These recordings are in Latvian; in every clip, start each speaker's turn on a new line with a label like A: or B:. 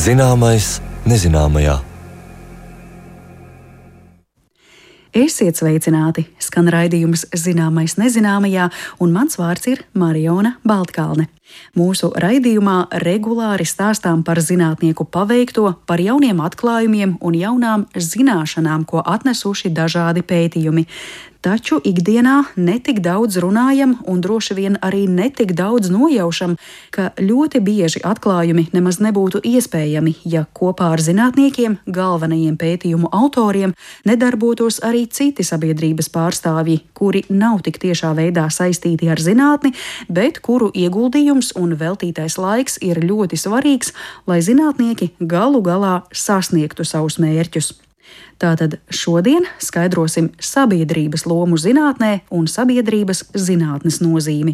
A: Zināmais nezināmajā.
B: Esiet sveicināti! Skan raidījums Zināmais nezināmajā, un mans vārds ir Mariona Baltkalne. Mūsu raidījumā regulāri stāstām par zinātnieku paveikto, par jauniem atklājumiem un jaunām zināšanām, ko atnesuši dažādi pētījumi. Taču ikdienā netik daudz runājam un droši vien arī netik daudz nojaušam, ka ļoti bieži atklājumi nemaz nebūtu iespējami, ja kopā ar zinātniekiem, galvenajiem pētījumu autoriem, nedarbotos arī citi sabiedrības pārstāvji, kuri nav tik tiešā veidā saistīti ar zinātni, bet kuru ieguldījums un veltītais laiks ir ļoti svarīgs, lai zinātnieki galu galā sasniegtu savus mērķus. Tātad šodien skaidrosim sabiedrības lomu zinātnē un sabiedrības zinātnes nozīmi.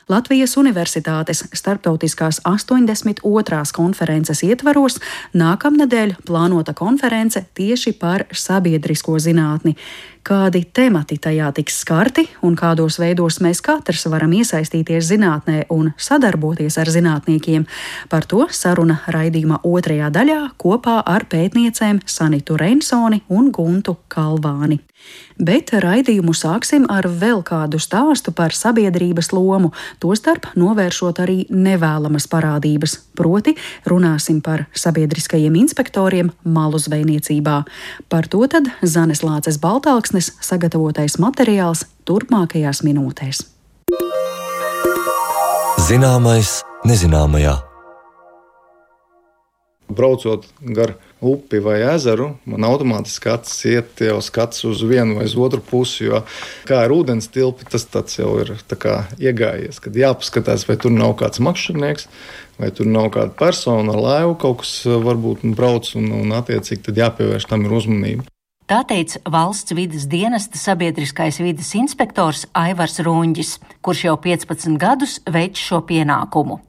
B: Latvijas Universitātes starptautiskās 82. konferences ietvaros nākamnedēļ plānota konference tieši par sabiedrisko zinātni. Kādi temati tajā tiks skarti un kādos veidos mēs katrs varam iesaistīties zinātnē un sadarboties ar zinātniekiem, par to saruna raidījuma otrajā daļā kopā ar pētniecēm Sanitu Reinsoni un Guntu Kalvāni. Bet raidījumu sāksim ar vēl kādu stāstu par sabiedrības lomu, tostarp novēršot arī nevēlamas parādības, proti runāsim par sabiedriskajiem inspektoriem malu zvejniecībā. Par to tad Zanes Lāces Baltalksnes sagatavotais materiāls turpmākajās minūtēs.
A: Zināmais nezināmajā.
C: Braucot gar upi vai ezeru, man automātiski acis iet jau skats uz vienu vai uz otru pusi, jo kā ar ūdens tilpi, tas tāds jau ir tā kā iegājies, kad jāpaskatās, vai tur nav kāds makšķernieks, vai tur nav kāda persona ar laivu, kaut kas varbūt brauc un attiecīgi tad jāpievērš tam ir uzmanība.
D: Tā teica Valsts vides dienesta sabiedriskais vides inspektors Aivars Runģis, kurš jau 15 gadus veic šo pienākumu.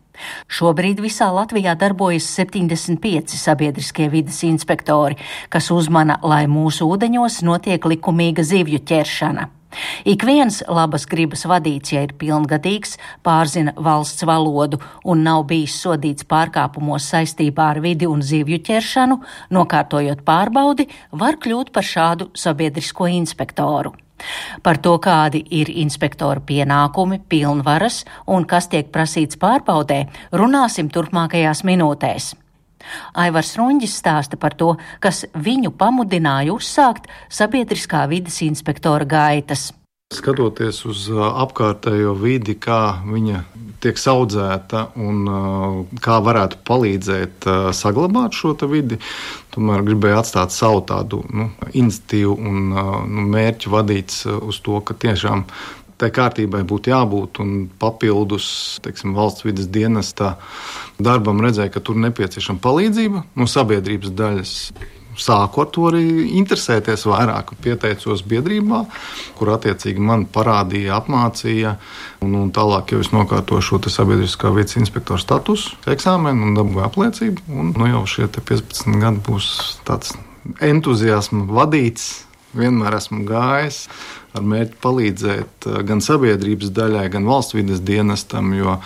D: Šobrīd visā Latvijā darbojas 75 sabiedriskie vides inspektori, kas uzmana, lai mūsu ūdeņos notiek likumīga zivju ķeršana. Ik viens labas gribas vadīts, ja ir pilngadīgs, pārzina valsts valodu un nav bijis sodīts pārkāpumos saistībā ar vidi un zivju ķeršanu, nokārtojot pārbaudi, var kļūt par šādu sabiedrisko inspektoru. Par to, kādi ir inspektora pienākumi, pilnvaras un kas tiek prasīts pārbaudē, runāsim turpmākajās minūtēs. Aivars Runģis stāsta par to, kas viņu pamudināja uzsākt sabiedriskā vides inspektora gaitas.
C: Skatoties uz apkārtējo vidi, kā viņa tiek audzēta un kā varētu palīdzēt saglabāt šo vidi, tomēr gribēju atstāt savu tādu iniciatīvu un mērķu vadīts uz to, ka tiešām tai kārtībai būtu jābūt un papildus, valsts vides dienesta darbam redzēja, ka tur nepieciešama palīdzība no sabiedrības daļas. Sāku ar to arī interesēties vairāk, pieteicos biedrībā, kur attiecīgi man parādīja, apmācīja, un tālāk jau es nokārtoju šo sabiedriskā vides inspektora statusu, eksāmenu un dabūju apliecību, un jau šie 15 gadi būs tāds entuziasma vadīts, vienmēr esmu gājis ar mērķi palīdzēt gan sabiedrības daļai, gan valsts vides dienestam, jo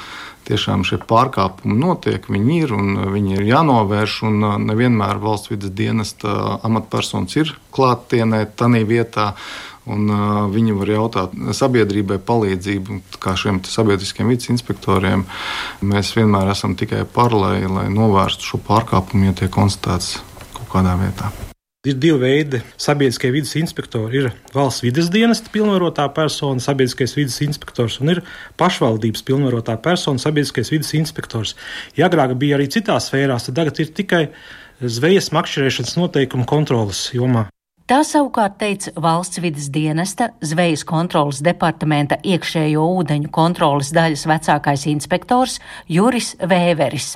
C: tiešām šie pārkāpumi notiek, viņi ir un viņi ir jānovērš, un nevienmēr valsts vides dienesta amatpersonas ir klāttienē, tanī vietā, un viņi var jautāt sabiedrībai palīdzību, kā šiem sabiedriskiem vides inspektoriem. Mēs vienmēr esam tikai par, lai novērstu šo pārkāpumu, ja tiek konstatēts kaut kādā vietā.
E: Ir divi veidi sabiedriskie vides inspektori. Ir valsts vides dienesta pilnvarotā persona, sabiedriskais vides inspektors, un ir pašvaldības pilnvarotā persona, sabiedriskais vides inspektors. Ja agrāk bija arī citās sfērās, tad tagad ir tikai zvejas makšķerēšanas noteikumu kontrolas jomā.
D: Tā savukārt teica Valsts vides dienesta zvejas kontrolas departamenta iekšējo ūdeņu kontrolas daļas vecākais inspektors Juris Vēveris.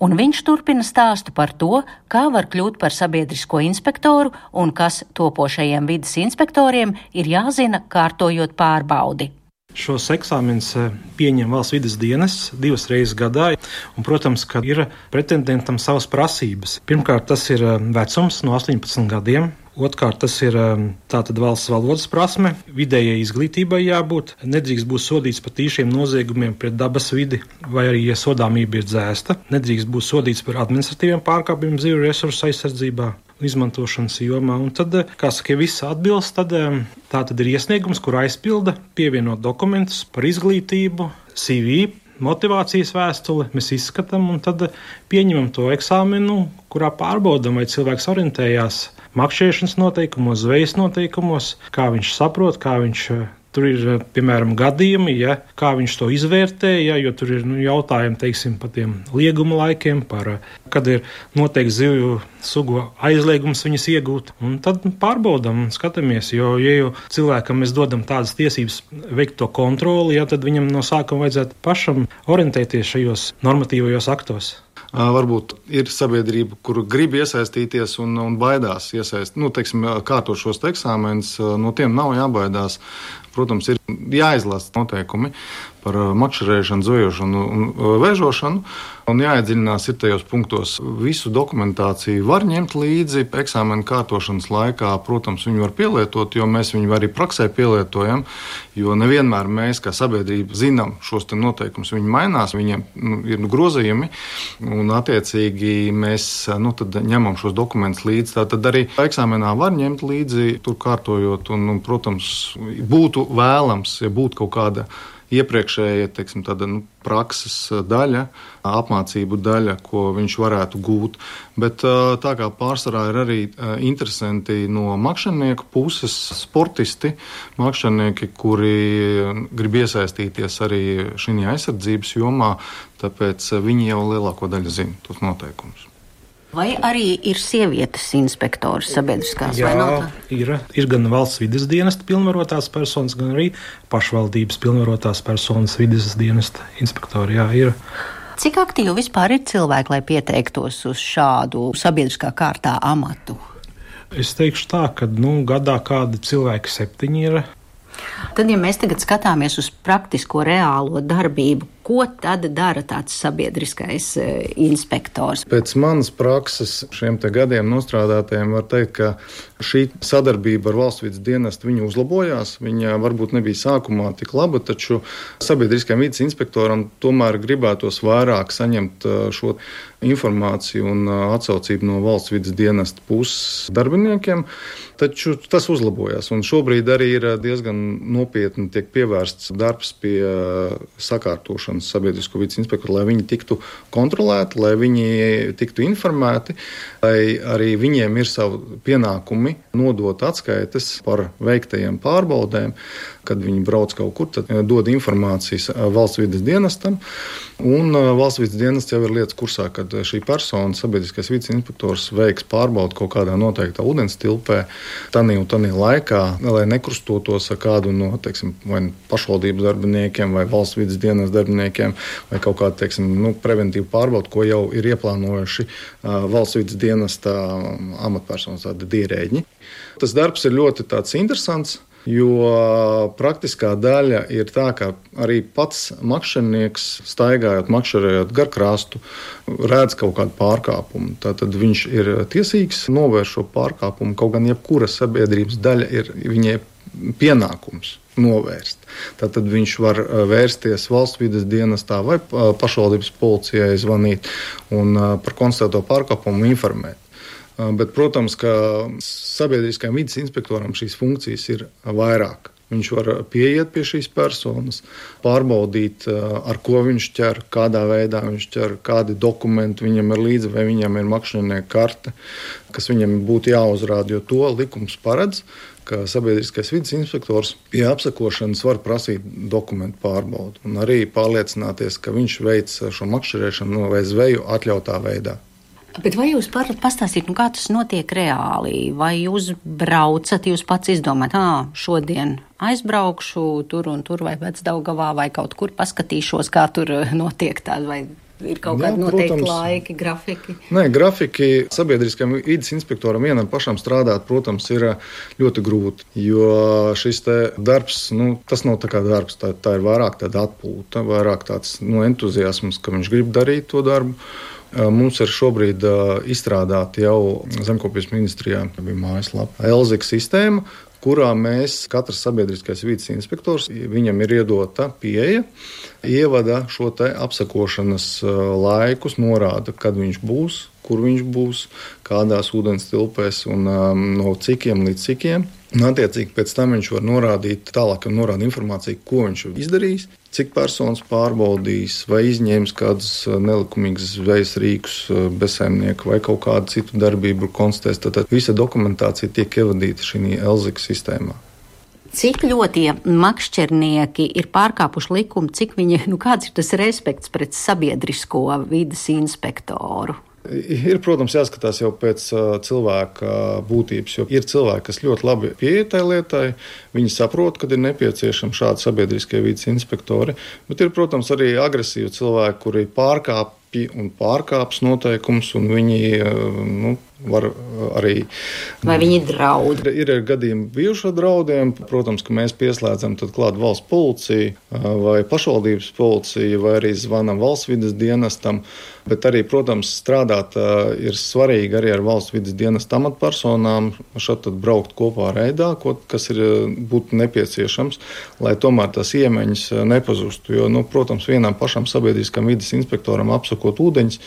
D: Un viņš turpina stāstu par to, kā var kļūt par sabiedrisko inspektoru un kas topošajiem vides inspektoriem ir jāzina, kārtojot pārbaudi.
E: Šos eksāmenus pieņem valsts vides dienests 2 reizes gadā, un, protams, ka ir pretendentam savas prasības. Pirmkārt, tas ir vecums no 18 gadiem. Otrkārt, tas ir tātad valsts valodas prasme, vidējai izglītībai jābūt, nedrīkst būt sodīts par tīšiem noziegumiem pret dabas vidi, vai arī, ja sodāmība ir dzēsta, nedrīkst būt sodīts par administratīviem pārkāpumiem zivju resursu aizsardzībā, izmantošanas jomā. Un tad, kā saka, ja viss atbilst, tad tā tad ir iesniegums, kur aizpilda, pievienot dokumentus par izglītību, CV, motivācijas vēstuli, mēs izskatām un tad pieņemam to eksāmenu, kurā pārbaudam, vai cilvēks orientējās makšķerēšanas noteikumos, zvejas noteikumos, kā viņš saprot, kā viņš tur ir, piemēram, gadījumi, kā viņš to izvērtē, jo tur ir jautājumi, teiksim, par tiem lieguma laikiem, par kad ir noteikti zivju sugu aizliegums viņas iegūt. Un tad pārbaudam un skatāmies, jo, ja jau cilvēkam mēs dodam tādas tiesības veikt to kontroli, tad viņam no sākuma vajadzētu pašam orientēties šajos normatīvajos aktos.
C: Varbūt ir sabiedrība, kur grib iesaistīties un baidās kārtot šos eksāmenus. No tiem nav jābaidās. Protams, ir jāizlasa noteikumi par makšķerēšanu, zvejošanu un vēžošanu, un jāiedziļinās ir tajos punktos. Visu dokumentāciju var ņemt līdzi eksāmena kārtošanas laikā. Protams, viņu var pielietot, jo mēs viņu arī praksē pielietojam, jo nevienmēr mēs, kā sabiedrība, zinām šos te noteikumus. Viņi mainās, viņiem ir grozījumi, un attiecīgi mēs tad ņemam šos dokumentus līdzi. Tātad arī eksāmenā var ņemt līdzi, tur kārtojot, un protams, būtu vēlams, ja būtu kaut kāda iepriekšēja, tāda prakses daļa, apmācību daļa, ko viņš varētu gūt. Bet tā kā pārsvarā ir arī interesanti no makšķernieku puses, sportisti, makšķernieki, kuri grib iesaistīties arī šī aizsardzības jomā, tāpēc viņi jau lielāko daļu zina tos noteikumus.
D: Vai arī ir sievietes inspektors sabiedriskās?
E: Jā, ir gan valsts vides dienesta pilnvarotās personas, gan arī pašvaldības pilnvarotās personas vides dienesta inspektori. Jā, ir.
D: Cik aktīvi vispār ir cilvēki, lai pieteiktos uz šādu sabiedriskā kārtā amatu?
E: Es teikšu tā, ka gadā kādi cilvēki 7 ir.
D: Tad, ja mēs tagad skatāmies uz praktisko reālo darbību, ko tad dara tāds sabiedriskais inspektors?
C: Pēc manas prakses šiem te gadiem nostrādātajiem var teikt, ka šī sadarbība ar valsts vides dienestu viņa uzlabojās. Viņa varbūt nebija sākumā tik laba, taču sabiedriskajam vides inspektoram tomēr gribētos vairāk saņemt šo informāciju un atsaucību no valsts vides dienesta puses darbiniekiem, taču tas uzlabojās. Un šobrīd arī ir diezgan nopietni tiek pievērsts darbs pie sakārtošanas sabiedrisko vides inspektoru, lai viņi tiktu kontrolēti, lai viņi tiktu informēti, lai arī viņiem ir savi pienākumi nodot atskaites par veiktajiem pārbaudēm. Kad viņi brauc kaut kur, tad dod informācijas valsts vides dienestam, un valsts vides dienests jau ir lietas kursā, kad šī persona, sabiedriskais vides inspektors, veiks pārbaudu kaut kādā noteiktā ūdens tilpē, tanī un tanī laikā, lai nekrustotos ar kādu no, vai pašvaldības darbiniekiem, vai valsts vides dienesta darbiniekiem, vai kaut kādu, preventīvu pārbaudu, ko jau ir ieplānojuši valsts vides dienesta amatpersonas, tādi dierēģi. Tas darbs ir ļoti tāds interesants, jo praktiskā daļa ir tā, ka arī pats makšķernieks, staigājot, makšķerējot gar krastu, redz kaut kādu pārkāpumu. Tātad viņš ir tiesīgs novērst šo pārkāpumu, kaut gan jebkura sabiedrības daļa ir viņai pienākums novērst. Tātad viņš var vērsties valsts vides dienestā vai pašvaldības policijai zvanīt un par konstatēto pārkāpumu informēt. Bet, protams, ka sabiedriskajam vides inspektoram šīs funkcijas ir vairāk. Viņš var pieiet pie šīs personas, pārbaudīt, ar ko viņš ķer, kādā veidā viņš ķer, kādi dokumenti viņam ir līdzi, vai viņam ir makšķernieka karte, kas viņam būtu jāuzrāda, jo to likums paredz, ka sabiedriskais vides inspektors pie apsekošanas var prasīt dokumentu pārbaudu un arī pārliecināties, ka viņš veic šo makšķerēšanu vai zveju atļautā veidā.
D: Bet vai jūs varat pastāstīt, kā tas notiek reāli? Vai jūs braucat, jūs pats izdomājat, šodien aizbraukšu tur un tur vai Vecdaugavā vai kaut kur paskatīšos, kā tur notiek tāda vai Ir kaut kādi noteikti laiki, grafiki?
C: Nē, grafiki sabiedriskajam vides inspektoram vienam pašam strādāt, protams, ir ļoti grūti, jo šis te darbs, tas nav tā kā darbs, tā ir vairāk tāda atpūta, vairāk tāds entuziasms, ka viņš grib darīt to darbu. Mums ir šobrīd izstrādāta jau Zemkopības ministrijā mājaslapa Elzika sistēma, kurā mēs, katrs sabiedriskais vides inspektors, viņam ir iedota pieeja, ievada šo te apsakošanas laikus, norāda, kad viņš būs, kur viņš būs, kādās ūdens tilpēs un no cikiem līdz cikiem. Un attiecīgi pēc tam viņš var norādīt, tālāk norāda informāciju, ko viņš izdarīs, cik personas pārbaudīs, vai izņēmis kādus nelikumīgus zvejas rīkus bezsaimnieku vai kaut kādu citu darbību konstatēs. Tad visa dokumentācija tiek ievadīta šī Elzika sistēmā.
D: Cik ļoti makšķernieki ir pārkāpuši likumu, cik viņi, kāds ir tas respekts pret sabiedrisko vides inspektoru?
C: Ir, protams, jāskatās jau pēc cilvēka būtības, jo ir cilvēki, kas ļoti labi pieiet tai lietai, viņi saprot, kad ir nepieciešami šādi sabiedriskie vides inspektori, bet ir, protams, arī agresīvi cilvēki, kuri pārkāps noteikums, un viņi var arī...
D: Vai viņi draud?
C: Ir gadījumi bijušo draudiem. Protams, ka mēs pieslēdzam tad klāt valsts policiju vai pašvaldības policiju, vai arī zvanam valsts vides dienestam. Bet arī, protams, strādāt ir svarīgi arī ar valsts vides dienesta amatpersonām, šeit tad braukt kopā reidā, kas būtu nepieciešams, lai tomēr tās iemaņas nepazustu. Jo, protams, vienam pašam sabiedriskam vides inspektoram apsakot ūdeņus,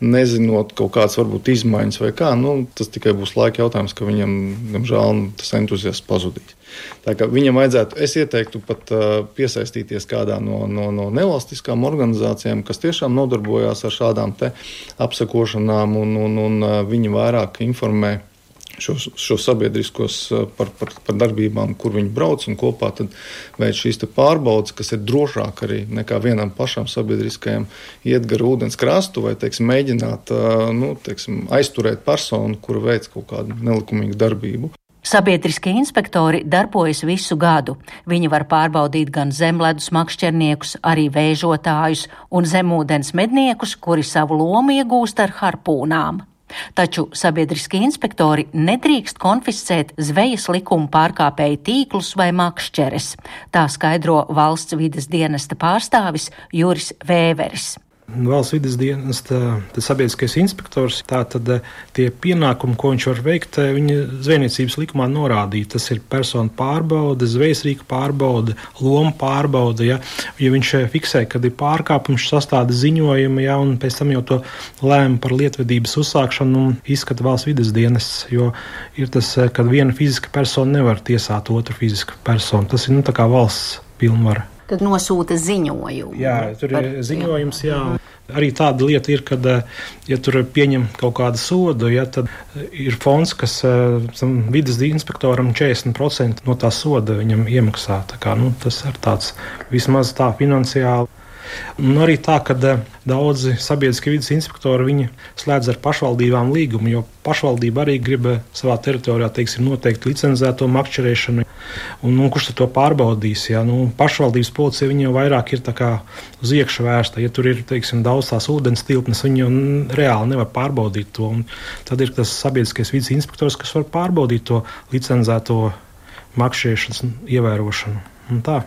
C: nezinot kaut kādas varbūt izmaiņas vai kā, tas tikai būs laika jautājums, ka viņam, diemžēl, tas entuziasms pazudīs. Tā kā viņam vajadzētu, es ieteiktu pat piesaistīties kādā no nevalstiskām organizācijām, kas tiešām nodarbojās ar šādām te apsakošanām, un viņi vairāk informē šo sabiedriskos par darbībām, kur viņi brauc, un kopā tad veic šīs te pārbaudas, kas ir drošāk arī nekā vienam pašam sabiedriskajam iet gar ūdens krastu vai, mēģināt, aizturēt personu, kura veic kaut kādu nelikumīgu darbību.
D: Sabiedriskie inspektori darbojas visu gadu. Viņi var pārbaudīt gan zemledus makšķerniekus, arī vēžotājus un zemūdens medniekus, kuri savu lomu iegūst ar harpūnām. Taču sabiedriskie inspektori nedrīkst konfiscēt zvejas likuma pārkāpēju tīklus vai makšķeres. Tā skaidro valsts vides dienesta pārstāvis Juris Vēveris.
E: Valsts vides dienesta sabiedriskais inspektors, tātad tie pienākumi, ko viņš var veikt, viņa zvejniecības likumā norādīja. Tas ir personu pārbaude, zvejas rīku pārbaude, loma pārbaude. Ja viņš fiksē, kad ir pārkāpums, sastāda ziņojumu, un pēc tam jau to lēma par lietvedības uzsākšanu izskata valsts vides dienests, jo ir tas, kad viena fiziska persona nevar tiesāt otru fizisku personu. Tas ir tā kā valsts pilnvara.
D: Kad nosūta ziņojumu.
E: Jā, tur ir ziņojums, jā. Arī tāda lieta ir, kad, ja tur pieņem kaut kādu sodu, tad ir fonds, kas vides inspektoram 40% no tā soda viņam iemaksā. Tā kā, tas ir tāds vismaz tā finansiāli. Un arī tā, ka daudzi sabiedriskie vides inspektori viņi slēdz ar pašvaldībām līgumu, jo pašvaldība arī grib savā teritorijā, noteikti licencēto makšķerēšanu. Un kurš to pārbaudīs? Ja? Pašvaldības policija viņa jau vairāk ir tā kā uz iekšu vērsta. Ja tur ir daudz tās ūdens tilpnes, viņi jau reāli nevar pārbaudīt to. Un tad ir tas sabiedriskais vides inspektors, kas var pārbaudīt to licencēto makšķerēšanas ievērošanu. Un tā.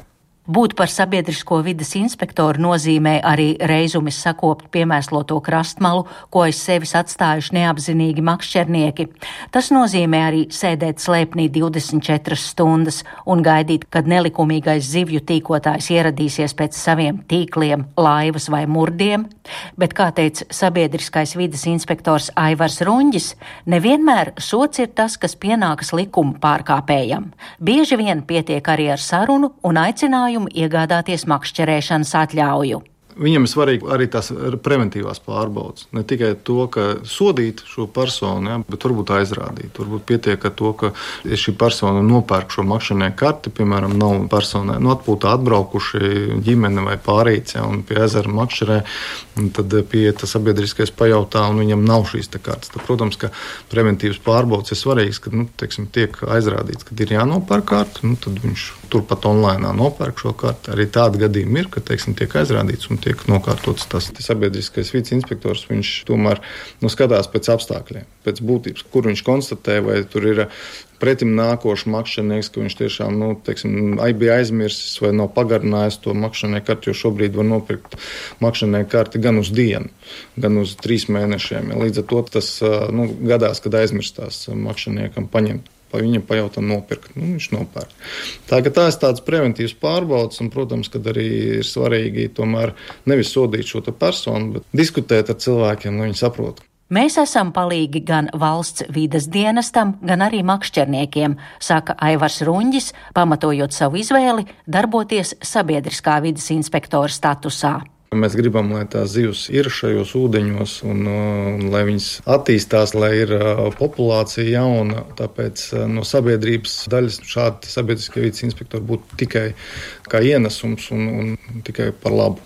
D: Būt par sabiedrisko vides inspektoru nozīmē arī reizumis sakopt piemēsloto krastmalu, ko aiz sevis atstājuši neapzinīgi makšķernieki. Tas nozīmē arī sēdēt slēpnī 24 stundas un gaidīt, kad nelikumīgais zivju tīkotājs ieradīsies pēc saviem tīkliem, laivas vai murdiem. Bet, kā teica sabiedriskais vides inspektors Aivars Runģis, nevienmēr sots ir tas, kas pienākas likuma pārkāpējam. Bieži vien pietiek arī ar sarunu un aicinājumu iegādāties makšķerēšanas atļauju.
C: Viņam ir svarīgi arī tās preventīvās pārbaudas. Ne tikai to, ka sodīt šo personu, bet varbūt aizrādīt. Varbūt pietiek ar to, ka šī persona nopērk šo makšķernieku karti, piemēram, nav personai atpūtā atbraukuši ģimene vai pārīts, un pie ezera makšķerē, un tad pieiet sabiedriskais pajautā, un viņam nav šīs kartes. Tad, protams, ka preventīvas pārbaudas ir svarīgas, kad tiek aizrādīts, kad ir jānopērk karti, tad viņš turpat online nopērk šo karti. Arī tādi gadījumi ir, ka, teiksim, tiek aizrādīts un tiek nokārtots tas. Sabiedriskais vides inspektors, viņš tomēr skatās pēc apstākļiem, pēc būtības, kur viņš konstatē, vai tur ir pretim nākošs makšķernieks, ka viņš tiešām, bija aizmirsis vai nav pagarinājis to makšķernieku karti, jo šobrīd var nopirkt makšķernieku karti gan uz dienu, gan uz 3 mēnešiem. Līdz ar to tas gadās, kad aizmirstās makšķerniekam paņemt. Viņam pajautā nopirkt, viņš nopērk. Tā ir tāds preventīvs pārbauds, un, protams, kad arī ir svarīgi tomēr nevis sodīt šo personu, bet diskutēt ar cilvēkiem, lai viņi saprotu.
D: Mēs esam palīgi gan valsts vides dienestam, gan arī makšķerniekiem, saka Aivars Runģis, pamatojot savu izvēli darboties sabiedriskā vides inspektora statusā.
C: Mēs gribam, lai tās zivs ir šajos ūdeņos un lai viņas attīstās, lai ir populācija jauna. Tāpēc no sabiedrības daļas šādi sabiedriskie vides inspektori būtu tikai kā ienesums un tikai par labu.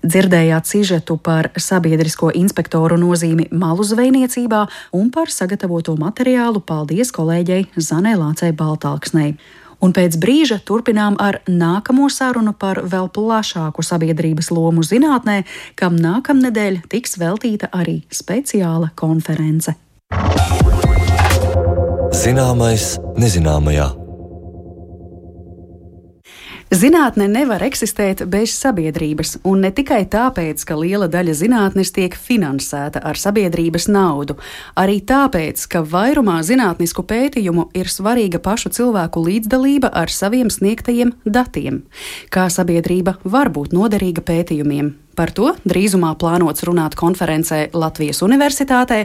B: Dzirdējāt sižetu par sabiedrisko inspektoru nozīmi malu zvejniecībā un par sagatavoto materiālu paldies kolēģei Zanei Lācei Baltalksnei. Un pēc brīža turpinām ar nākamo sarunu par vēl plašāku sabiedrības lomu zinātnē, kam nākamnedēļ tiks veltīta arī speciāla konference.
A: Zināmais nezināmajā.
B: Zinātne nevar eksistēt bez sabiedrības, un ne tikai tāpēc, ka liela daļa zinātnes tiek finansēta ar sabiedrības naudu, arī tāpēc, ka vairumā zinātnisku pētījumu ir svarīga pašu cilvēku līdzdalība ar saviem sniegtajiem datiem. Kā sabiedrība var būt noderīga pētījumiem? Par to drīzumā plānots runāt konferencē Latvijas Universitātē,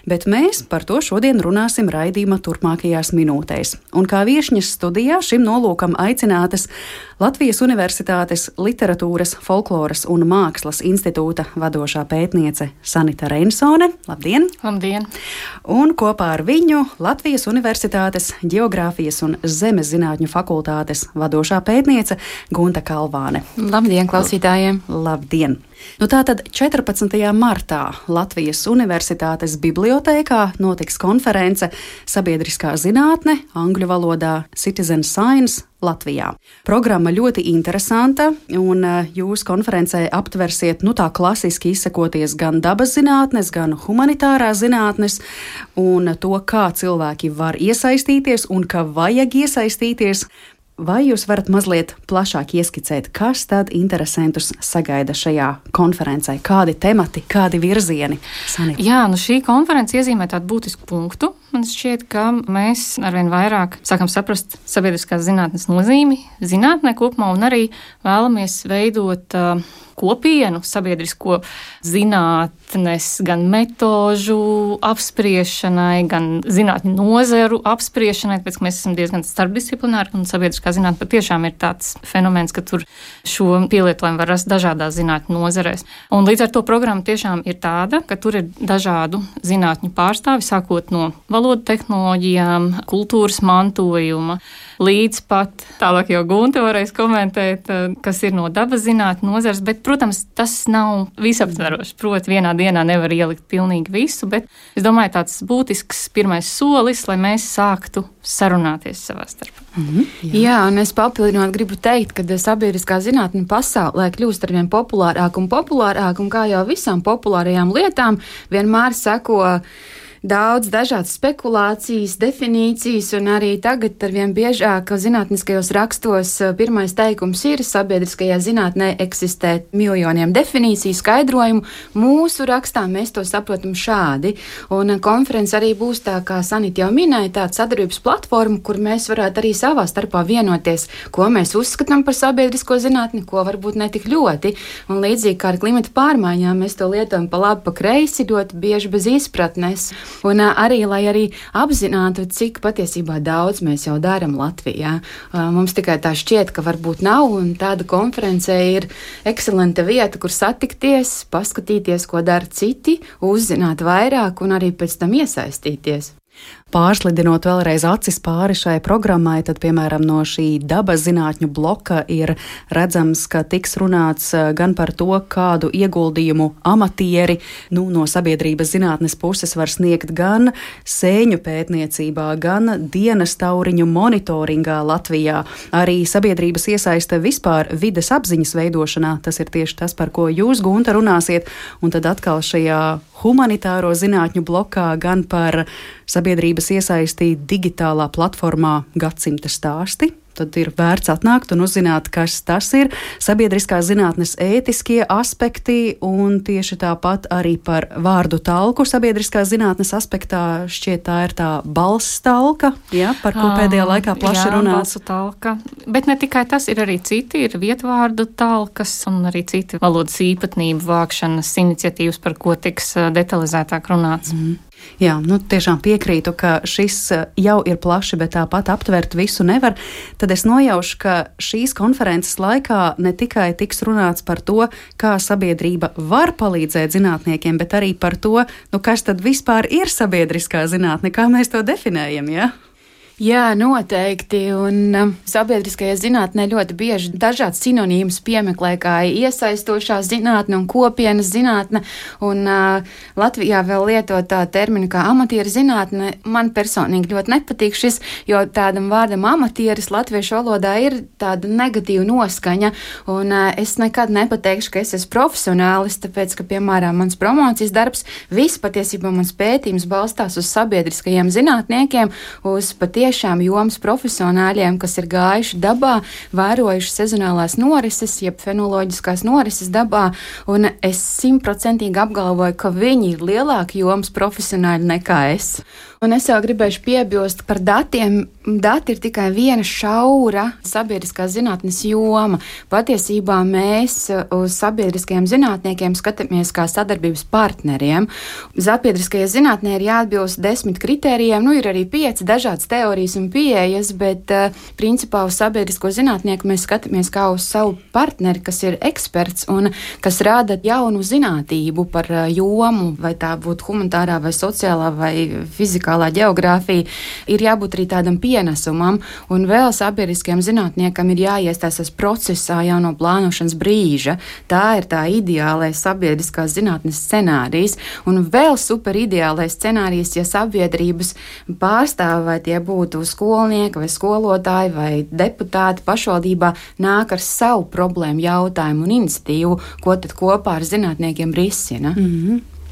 B: bet mēs par to šodien runāsim raidījuma turpmākajās minūtēs. Un kā viešņas studijā šim nolūkam aicinātas Latvijas Universitātes Literatūras, folkloras un mākslas institūta vadošā pētniece Sanita Reinsone. Labdien!
F: Labdien!
B: Un kopā ar viņu Latvijas Universitātes Ģeogrāfijas un zemes zinātņu fakultātes vadošā pētniece Gunta Kalvāne.
F: Labdien, klausītājiem!
B: Labdien! Tātad 14. martā Latvijas Universitātes bibliotēkā notiks konference Sabiedriskā zinātne, angļu valodā Citizen Science Latvijā. Programma ļoti interesanta, un jūs konferencē aptversiet, tā klasiski izsakoties gan dabas zinātnes, gan humanitārās zinātnes, un to, kā cilvēki var iesaistīties un ka vajag iesaistīties. Vai jūs varat mazliet plašāk ieskicēt, kas tad interesantus sagaida šajā konferencē? Kādi temati, kādi virzieni? Sanita?
F: Jā, šī konference iezīmē tādu būtisku punktu. Man šķiet, ka mēs arvien vairāk sākam saprast sabiedriskās zinātnes nozīmi zinātnē kopumā un arī vēlamies veidot kopienu sabiedrisko zinātnes, gan metožu apspriešanai, gan zinātņu nozaru apspriešanai, tāpēc, ka mēs esam diezgan starpdisciplināri, un sabiedriskā zinātne patiešām ir tāds fenomens, ka tur šo pielietojumu var rast dažādās zinātņu nozarēs. Un līdz ar to programma tiešām ir tāda, ka tur ir dažādu zinātņu pārstāvi, sākot no valodu tehnoloģijām, kultūras mantojuma, līdz pat tālāk jau Gunta varēs komentēt, kas ir no dabas zinātņu nozares, bet, protams, tas nav visaptveroši. Proti, vienā dienā nevar ielikt pilnīgi visu, bet es domāju, tāds būtisks pirmais solis, lai mēs sāktu sarunāties savā starpā.
G: Jā, un es papildinot gribu teikt, ka sabiedriskā zinātne pasaulē kļūst arvien populārāk un populārāk, un kā jau visām populārajām lietām, vienmēr seko daudz dažādas spekulācijas, definīcijas, un arī tagad arvien biežāk zinātniskajos rakstos pirmais teikums ir: sabiedriskajā zinātnē eksistē miljoniem definīciju, skaidrojumu. Mūsu rakstā mēs to saprotam šādi, un konference arī būs tā, kā Sanita jau minēja, tāda sadarbības platforma, kur mēs varētu arī savā starpā vienoties, ko mēs uzskatām par sabiedrisko zinātni, ko varbūt netik ļoti, un līdzīgi kā ar klimata pārmaiņām, mēs to lietojam pa labi, pa kreisi, ļoti bieži bez izpratnes. Un arī, lai arī apzinātu, cik patiesībā daudz mēs jau darām Latvijā. Mums tikai tā šķiet, ka varbūt nav, un tāda konferencē ir ekscelenta vieta, kur satikties, paskatīties, ko dara citi, uzzināt vairāk un arī pēc tam iesaistīties.
B: Pārslidinot vēlreiz acis pāri šai programmai, tad, piemēram, no šī dabas zinātņu bloka ir redzams, ka tiks runāts gan par to, kādu ieguldījumu amatieri no sabiedrības zinātnes puses var sniegt gan sēņu pētniecībā, gan dienas tauriņu monitoringā Latvijā. Arī sabiedrības iesaiste vispār vides apziņas veidošanā, tas ir tieši tas, par ko jūs, Gunta, runāsiet, un tad atkal šajā humanitāro zinātņu blokā gan par sabiedrības iesaisti digitālā platformā Gadsimta stāsti. Tad ir vērts atnākt un uzzināt, kas tas ir, sabiedriskās zinātnes ētiskie aspekti un tieši tāpat arī par vārdu talku sabiedriskās zinātnes aspektā. Šķiet, tā ir tā balss talka, ja, par ko pēdējā laikā plaši runāts.
F: Balsu talka. Bet ne tikai tas, ir arī citi, ir vietvārdu talkas un arī citi valodas īpatnību vākšanas iniciatīvas, par ko tiks detalizētāk runāts.
B: Jā, tiešām piekrītu, ka šis jau ir plaši, bet tāpat aptvert visu nevar. Tad es nojaušu, ka šīs konferences laikā ne tikai tiks runāts par to, kā sabiedrība var palīdzēt zinātniekiem, bet arī par to, kas tad vispār ir sabiedriskā zinātne, kā mēs to definējam, ja?
G: Jā, noteikti. Un sabiedriskajā zinātnē ļoti bieži dažādas sinonīmas piemeklē, kā iesaistošā zinātne un kopienas zinātne. Un Latvijā vēl lietot tā terminu kā amatieru zinātne. Man personīgi ļoti nepatīk šis, jo tādam vārdam amatieris latviešu valodā ir tāda negatīva noskaņa. Un es nekad nepateikšu, ka es esmu profesionālis, tāpēc, ka, piemēram, mans promocijas darbs, viss patiesībā mans pētījums balstās uz sabiedriskajiem zinātniekiem, uz patiešām jomas profesionāļiem, kas ir gājuši dabā, vērojuši sezonālās norises, jeb fenoloģiskās norises dabā, un es 100% apgalvoju, ka viņi ir lielāki jomas profesionāļi nekā es. Un es jau gribēšu piebilst par datiem. Dati ir tikai viena šaura sabiedriskās zinātnes joma. Patiesībā mēs uz sabiedriskajiem zinātniekiem skatāmies kā sadarbības partneriem. Sabiedriskajai zinātnē ir jāatbilst 10 kritērijiem, ir arī 5 dažādas teorijas un pieejas, bet principā uz sabiedrisko zinātnieku mēs skatāmies kā uz savu partneri, kas ir eksperts un kas rāda jaunu zinātību par jomu, vai tā būtu humanitārā vai sociālā vai fizikālā ģeogrāfija. Ir jābūt arī tādam pienesumam, un vēl sabiedriskajam zinātniekam ir jāiestājas procesā jau no plānošanas brīža. Tā ir tā ideālais sabiedriskās zinātnes scenārijs, un vēl super ideālais scenārijs, ja sabiedrības pārstāvi, vai tie būtu skolnieki vai skolotāji vai deputāti pašvaldībā, nāk ar savu problēmu, jautājumu un iniciatīvu, ko tad kopā ar zinātniekiem risina.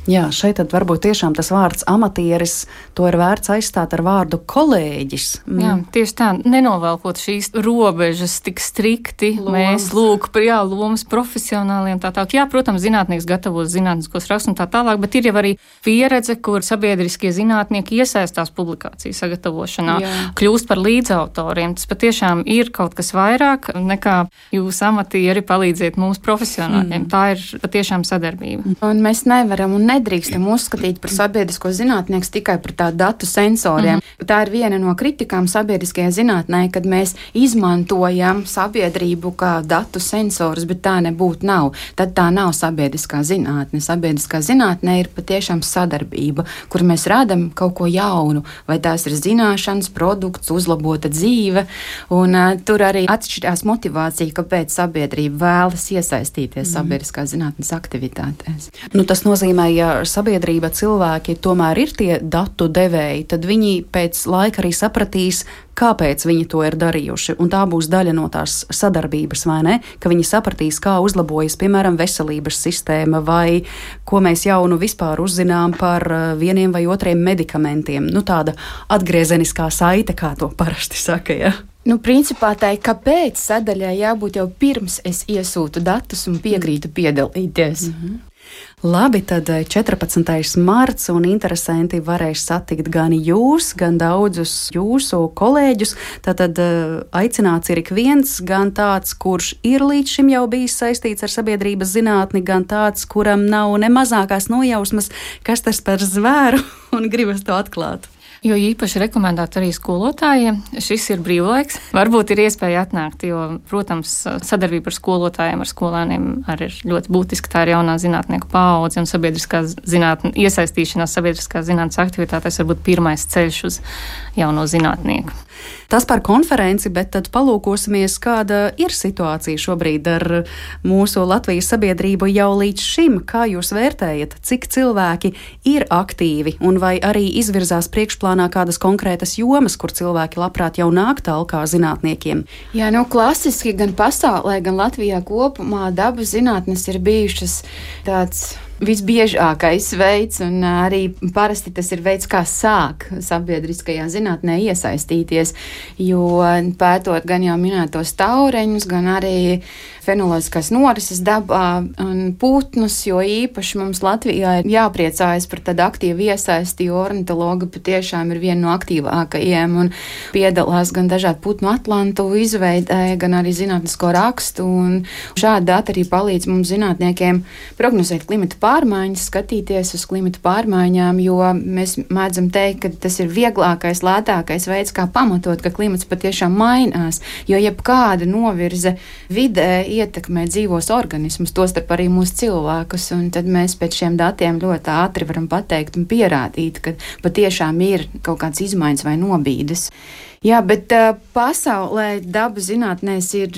B: Jā, šeit tad varbūt tiešām tas vārds amatieris, to ir vērts aizstāt ar vārdu kolēģis.
F: Jā, tieši tā, nenovelkot šīs robežas tik strikti, mēs lomas profesionāliem tā tālāk. Jā, protams, zinātnieks gatavos zinātniskos rakstus un tā tālāk, bet ir jau arī pieredze, kur sabiedriskie zinātnieki iesaistās publikāciju sagatavošanā, kļūst par līdzautoriem. Tas patiešām ir kaut kas vairāk nekā jūs amatieri palīdziet mūsu profesionāļiem. Tā ir patiešām sadarbība.
G: Un mēs nevaram un nedrīkstam uzskatīt par sabiedrisko zinātnieku tikai par tādu datu sensoriem. Tā ir viena no kritikām sabiedriskajā zinātnē, kad mēs izmantojam sabiedrību kā datu sensorus, bet tā nebūtu nav. Tad tā nav sabiedriskā zinātne. Sabiedriskā zinātne ir patiešām sadarbība, kur mēs rādam kaut ko jaunu, vai tās ir zināšanas, produkts, uzlabota dzīve, un tur arī atšķirās motivācija, kāpēc sabiedrība vēlas iesaistīties sabiedriskās zinātnes aktivitātēs.
B: Tas nozīmē, ja sabiedrība cilvēki tomēr ir tie datu devēji, tad viņi pēc laika arī sapratīs, kāpēc viņi to ir darījuši. Un tā būs daļa no tās sadarbības, vai ne? Ka viņi sapratīs, kā uzlabojas, piemēram, veselības sistēma, vai ko mēs jaunu vispār uzzinām par vieniem vai otriem medikamentiem. Tāda atgriezeniskā saite, kā to parasti saka, ja?
G: Principā tai, kāpēc sadaļai jābūt jau pirms es iesūtu datus un piekrītu piedalīties.
B: Labi, tad 14. marts un interesanti varēs satikt gan jūs, gan daudzus jūsu kolēģus. Tātad aicināts ir ik viens, gan tāds, kurš ir līdz šim jau bijis saistīts ar sabiedrības zinātni, gan tāds, kuram nav ne mazākās nojausmas, kas tas par zvēru un gribas to atklāt.
F: Jo īpaši rekomendētu arī skolotājiem. Šis ir brīvlaiks. Varbūt ir iespēja atnākt, jo, protams, sadarbība ar skolotājiem, ar skolēniem arī ir ļoti būtiska. Tā ir jaunā zinātnieku paudze un iesaistīšanās sabiedriskās zinātnes aktivitātēs var būt pirmais ceļš uz jauno zinātnieku.
B: Tas par konferenci, bet tad palūkosimies, kāda ir situācija šobrīd ar mūsu Latvijas sabiedrību jau līdz šim. Kā jūs vērtējat, cik cilvēki ir aktīvi un vai arī izvirzās priekšplānā kādas konkrētas jomas, kur cilvēki labprāt jau nāk talkā zinātniekiem?
G: Jā, klasiski gan pasaulē, gan Latvijā kopumā dabas zinātnes ir bijušas tāds visbiežākais veids, un arī parasti tas ir veids, kā sāk sabiedriskajā zinātnē iesaistīties, jo pētot gan jau minētos taureņus, gan arī fenoloģiskās norises dabā un putnus, jo īpaši mums Latvijā ir jāpriecājas par tādu aktīvu iesaisti, jo ornitologi patiešām ir viena no aktīvākajiem un piedalās gan dažādu putnu atlantu izveidē, gan arī zinātnisko rakstu, un šādi dati arī palīdz mums zinātniekiem prognozēt klimata pārmaiņas, skatīties uz klimata pārmaiņām, jo mēs mēdzam teikt, ka tas ir vieglākais, lētākais veids, kā pamatot, ka klimats patiešām mainās, jo jebkāda novirze vidē ietekmē dzīvos organismus, tostarp arī mūsu cilvēkus, un tad mēs pēc šiem datiem ļoti ātri varam pateikt un pierādīt, ka patiešām ir kaut kāds izmaiņas vai nobīdes. Jā, bet pasaulē dabas zinātnēs ir,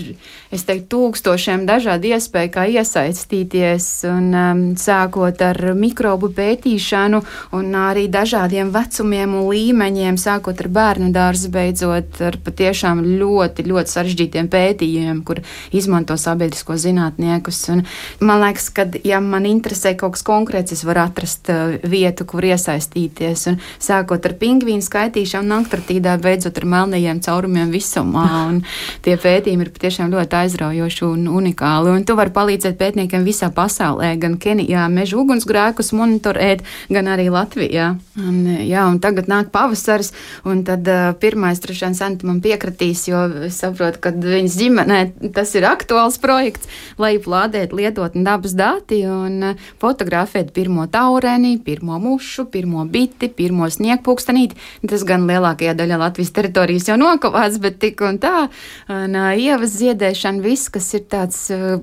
G: es teiktu, tūkstošiem dažādu iespēju, kā iesaistīties, un sākot ar mikrobu pētīšanu un arī dažādiem vecumiem un līmeņiem, sākot ar bērnu dārzu, beidzot ar patiešām ļoti, ļoti sarežģītiem pētījumiem, kur izmanto sabiedrisko zinātniekus. Un man liekas, ka, ja man interesē kaut kas konkrēts, es varu atrast vietu, kur iesaistīties. Un sākot ar pingvīnu skaitīšanu Antarktīdā, beidzot ar melnajiem caurumiem visumā, un tie pētījumi ir patiešām ļoti aizraujoši un unikāli, un tu vari palīdzēt pētniekiem visā pasaulē, gan Kenijā meža ugunsgrēkus monitorēt, gan arī Latvijā. Un tagad nāk pavasaris, un tad pirmais droši vien Santa man piekratīs, jo es saprotu, ka viņas ģimenē tas ir aktuāls projekts, lai plādēt lietotni dabas dati un fotografēt pirmo taureni, pirmo mušu, pirmo biti, pirmo sniegpūkstenīti. Tas gan lielākajā daļā Latvijas teritorijas jau nokavāts, bet tik un tā, un ievas ziedēšana, viss, kas ir tāds,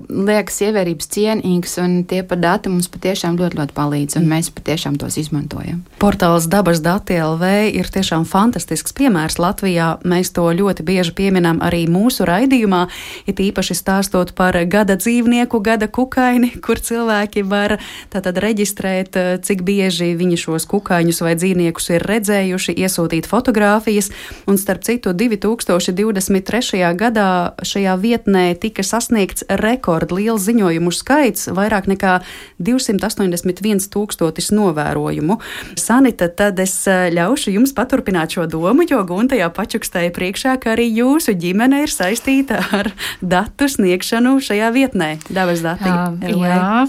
G: liekas, ievērības cienīgs, un tie par dati mums patiešām ļoti, ļoti palīdz, un mēs patiešām tos izmantojam.
B: Portāls Dabas dati LV ir tiešām fantastisks piemērs Latvijā. Mēs to ļoti bieži pieminam arī mūsu raidījumā, it īpaši stāstot par gada dzīvnieku, gada kukaini, kur cilvēki var tātad reģistrēt, cik bieži viņi šos kukaiņus vai dzīvniekus ir redzējuši, iesūtīt fotogrāfijas. Un starp citu, 2023. gadā šajā vietnē tika sasniegts rekordliels ziņojumu skaits, vairāk nekā 281 000 novērojumu. Sanita, tad es ļaušu jums paturpināt šo domu, jo Gunta jau pačukstēja priekšā, ka arī jūsu ģimene ir saistīta ar datu sniegšanu šajā vietnē, Dabas dati.
F: Jā,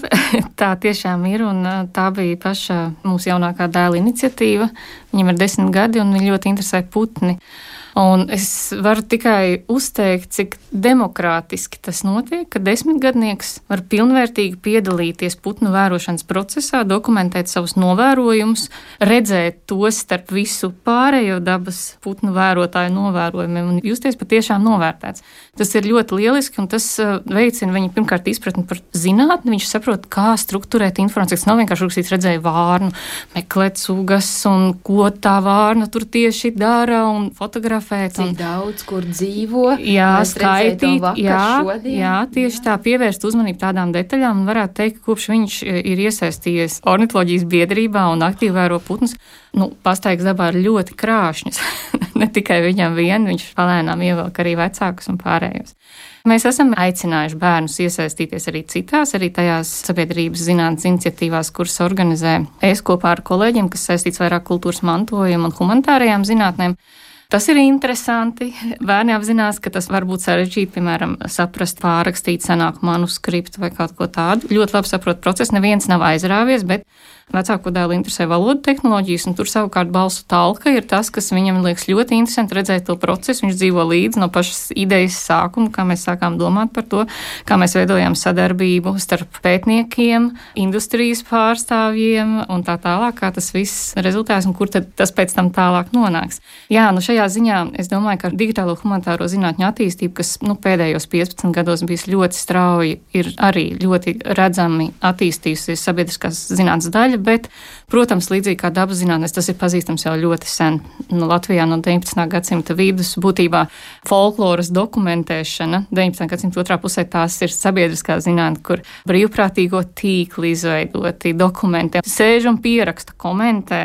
F: tā tiešām ir, un tā bija paša mūsu jaunākā dēla iniciatīva. Viņam ir 10 gadi, un viņi ļoti interesē putni. Un es varu tikai uzteikt, cik demokrātiski tas notiek, ka 10-gadnieks var pilnvērtīgi piedalīties putnu vērošanas procesā, dokumentēt savus novērojumus, redzēt tos starp visu pārējo dabas putnu vērotāju novērojumiem un justies patiešām novērtēts. Tas ir ļoti lieliski, un tas veicina viņa pirmkārt izpratni par zinātni. Viņš saprot, kā strukturēt informāciju. Tas nav vienkārši rakstīt, redzēja vārnu, meklēt sugas un ko tā vārna tur tieši dara un fotografēt.
G: Cik daudz, kur dzīvo.
F: Jā, skaitīt. Jā, tieši tā, pievērst uzmanību tādām detaļām, un varētu teikt, ka kopš viņš ir iesaistījies ornitoloģijas biedrībā un aktīvi vēro putnus, pastaigas dabā ir ļoti krāšņas. Ne tikai viņam vien, viņš palēnām ievelk arī vecākus un pārējos. Mēs esam aicinājuši bērnus iesaistīties arī citās, arī tajās sabiedrības zinātnes iniciatīvās, kuras organizē es kopā ar kolēģiem, kas saistīts vairāk kultūras mantojumu un humanitārajām zinātnēm. Tas ir interesanti. Bērni apzinās, ka tas var būt sarežģīti, piemēram, saprast, pārrakstīt senāku manuskriptu vai kaut ko tādu. Ļoti labi saprot procesu, neviens nav aizrāvies, bet vecāko dēlu interesē valodu tehnoloģijas, un tur savukārt balsu talka ir tas, kas viņam liekas ļoti interesanti redzēt to procesu. Viņš dzīvo līdzi no pašas idejas sākuma, kā mēs sākām domāt par to, kā mēs veidojām sadarbību starp pētniekiem, industrijas pārstāvjiem un tā tālāk, kā tas viss rezultēs un kur tad tas pēc tam tālāk nonāks. Jā, šajā ziņā es domāju, ka digitālo humanitāro zinātņu attīstība, kas pēdējos 15 gados bijis ļoti strauji, ir arī ļoti redzami attīstījusies sabiedriskās zinātnes daļa. Bet, protams, līdzīgi kā dabas zinātnes, tas ir pazīstams jau ļoti sen. Latvijā no 19. gadsimta vidus būtībā folkloras dokumentēšana 19. gadsimta otrā pusē tās ir sabiedriskā zinātne, kur brīvprātīgo tīkli izveidoti, dokumentē, sēž un pieraksta, komentē,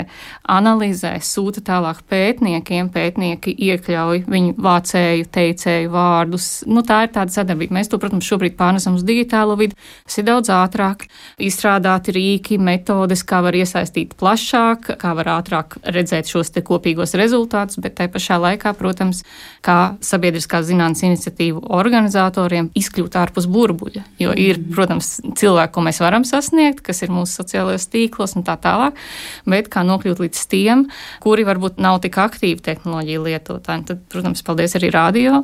F: analizē, sūta tālāk pētniekiem, pētnieki iekļauj viņu vācēju, teicēju vārdus. Tā ir tāda sadarbība. Mēs to, protams, šobrīd pārnesam uz digitālo vidi. Tas ir daudz ātrāk, izstrādāti rīki, metodes, kā var iesaistīt plašāk, kā var ātrāk redzēt šos te kopīgos rezultātus, bet tai pašā laikā, protams, kā sabiedriskās zinātnes iniciatīvu organizatoriem izkļūt ārpus burbuļa, jo ir, protams, cilvēki, ko mēs varam sasniegt, kas ir mūsu sociālajos tīklos un tā tālāk, bet kā nokļūt līdz tiem, kuri varbūt nav tik aktīvi tehnoloģiju lietotāji. Tad, protams, paldies arī radio,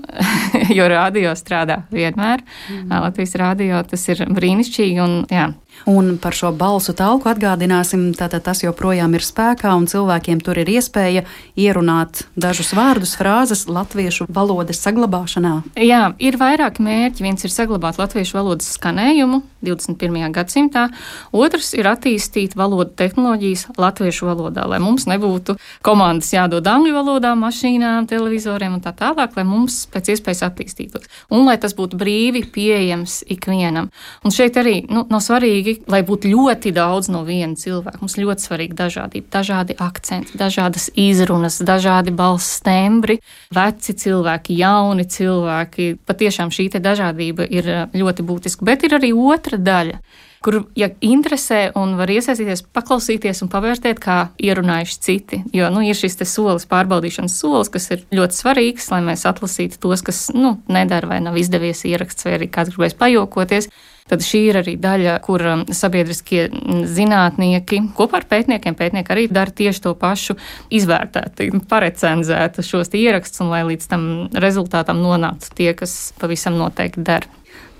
F: jo radio strādā vienmēr. Latvijas radio, tas ir brīnišķīgi un jā.
B: Un par šo balsu talku atgādināsim, tātad tas joprojām ir spēkā un cilvēkiem tur ir iespēja ierunāt dažus vārdus, frāzes latviešu valodas saglabāšanā.
F: Jā, ir vairāki mērķi. Viens ir saglabāt latviešu valodas skanējumu 21. gadsimtā, otrs ir attīstīt valodu tehnoloģijas latviešu valodā, lai mums nebūtu komandas jādod angļu valodā, mašīnām, televizoriem un tā tālāk, lai mums pēc iespējas attīstītos. Un lai tas būtu brīvi pieejams ikvienam. Un šeit arī nav svarīgi, lai būtu ļoti daudz no viena cilvēka. Mums ļoti svarīga dažādība, dažādi akcenti, dažādas izrunas, dažādi balss tembri, veci cilvēki, jauni cilvēki. Patiešām šī te dažādība ir ļoti būtiska, bet ir arī otra daļa, kur, ja interesē un var iesaistīties, paklausīties un pavērtēt, kā ierunājuši citi. Jo, ir šis te solis, pārbaudīšanas solis, kas ir ļoti svarīgs, lai mēs atlasītu tos, kas, nedara vai nav izdevies ieraksts, vai arī kāds gribēs pajokoties. Tad šī ir arī daļa, kur sabiedriskie zinātnieki kopā ar pētnieki arī dara tieši to pašu, izvērtēt, parecenzēt šos ierakstus un lai līdz tam rezultātam nonāktu tie, kas pavisam noteikti dara.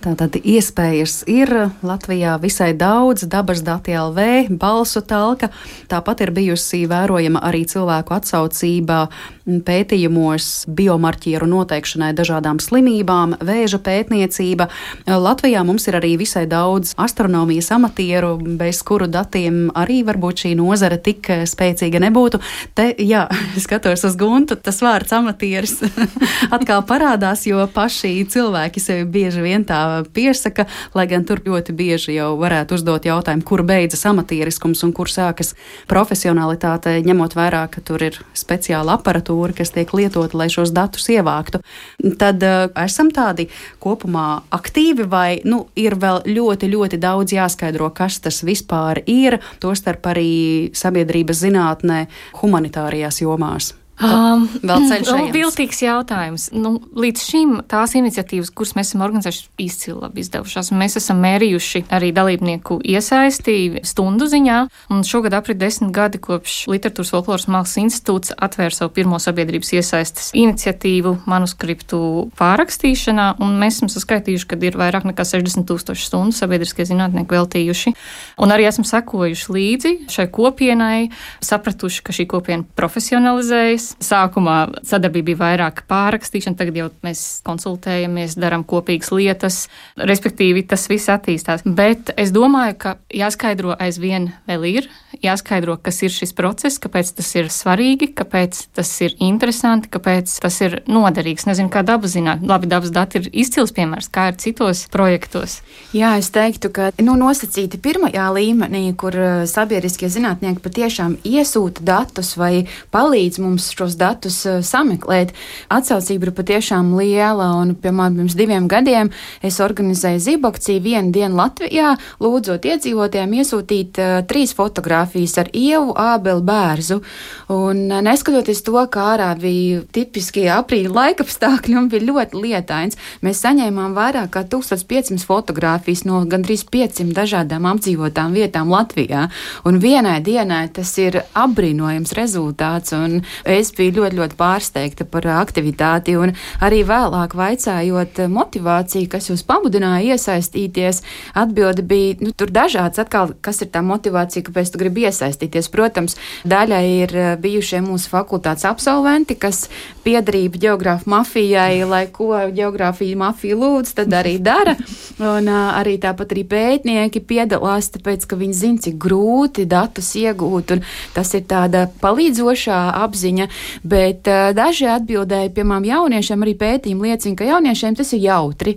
B: Tātad iespējas ir Latvijā visai daudz, dabas dati LV, balsu talka, tāpat ir bijusi vērojama arī cilvēku atsaucība pētījumos biomarķieru noteikšanai dažādām slimībām, vēža pētniecība. Latvijā mums ir arī visai daudz astronomijas amatieru, bez kuru datiem arī varbūt šī nozara tik spēcīga nebūtu. Te, jā, skatos uz Guntu, tas vārds amatieris atkal parādās, jo paši cilvēki sevi bieži vien tā piesaka, lai gan tur ļoti bieži jau varētu uzdot jautājumu, kur beidzas amatieriskums un kur sākas profesionalitāte, ņemot vērā, ka tur ir speciāla aparatūra, kas tiek lietota, lai šos datus ievāktu. Tad esam tādi kopumā aktīvi vai ir vēl ļoti, ļoti daudz jāskaidro, kas tas vispār ir, tostarp arī sabiedrības zinātnē humanitārajās jomās. Vēl ceļš ejams.
F: Viltīgs jautājums. Līdz šim tās iniciatīvas, kuras mēs esam organizējuši, izcili labi izdevušās. Mēs esam mērījuši arī dalībnieku iesaisti stundu ziņā, un šogad aprit 10 gadi kopš Literatūras folkloras mākslas institūts atvēra savu pirmo sabiedrības iesaistes iniciatīvu manuskriptu pārrakstīšanā, un mēs esam saskaitījuši, ka ir vairāk nekā 60,000 stundu sabiedriskie zinātnieki veltījuši, un arī esam sekojuši līdzi šai kopienai, sapratuši, ka šī kopiena profesionalizējas. Sākumā sadarbība bija vairāk pārrakstīšana, tagad jau mēs konsultējamies, darām kopīgas lietas, respektīvi tas viss attīstās. Bet es domāju, ka jāskaidro aizvien vēl ir, jāskaidro, kas ir šis process, kāpēc tas ir svarīgi, kāpēc tas ir interesanti, kāpēc tas ir noderīgs. Nezinu, kā dabas zinātne. Labi, dabas dati ir izcils piemērs, kā ir citos projektos.
G: Jā, es teiktu, ka nosacīti pirmajā līmenī, kur sabiedriskie zinātnieki patiešām iesūta datus vai palīdz mums šos datus sameklēt. Atsaucība ir patiešām liela, un, piemēram, pirms 2 gadiem es organizēju zibakciju 1 dienu Latvijā, lūdzot iedzīvotājiem iesūtīt 3 fotogrāfijas ar Ievu, Ābeli, Bērzu. Un neskatoties to, kā ārā bija tipiskie aprīļa laikapstākļi un bija ļoti lietains, mēs saņēmām vairāk kā 1500 fotogrāfijas no gandrīz 500 dažādām apdzīvotām vietām Latvijā. Un vienai dienai tas ir apbrīnojams rezultāts, un es biju ļoti, ļoti pārsteigta par aktivitāti, un arī vēlāk vaicājot motivāciju, kas jūs pamudināja iesaistīties, atbilde bija, tur dažāds atkal, kas ir tā motivācija, kāpēc tu gribi iesaistīties. Protams, daļai ir bijušie mūsu fakultātes absolventi, kas piederība ģeogrāfu mafijai, lai ko ģeogrāfija mafija lūdz, tad arī dara, un arī tāpat arī pētnieki piedalās, tāpēc, ka viņi zina, cik grūti datus iegūt, un tas ir tāda palīdzošā apziņa, bet daži atbildēja, piemēram, jauniešiem arī pētījumi liecina, ka jauniešiem tas ir jautri,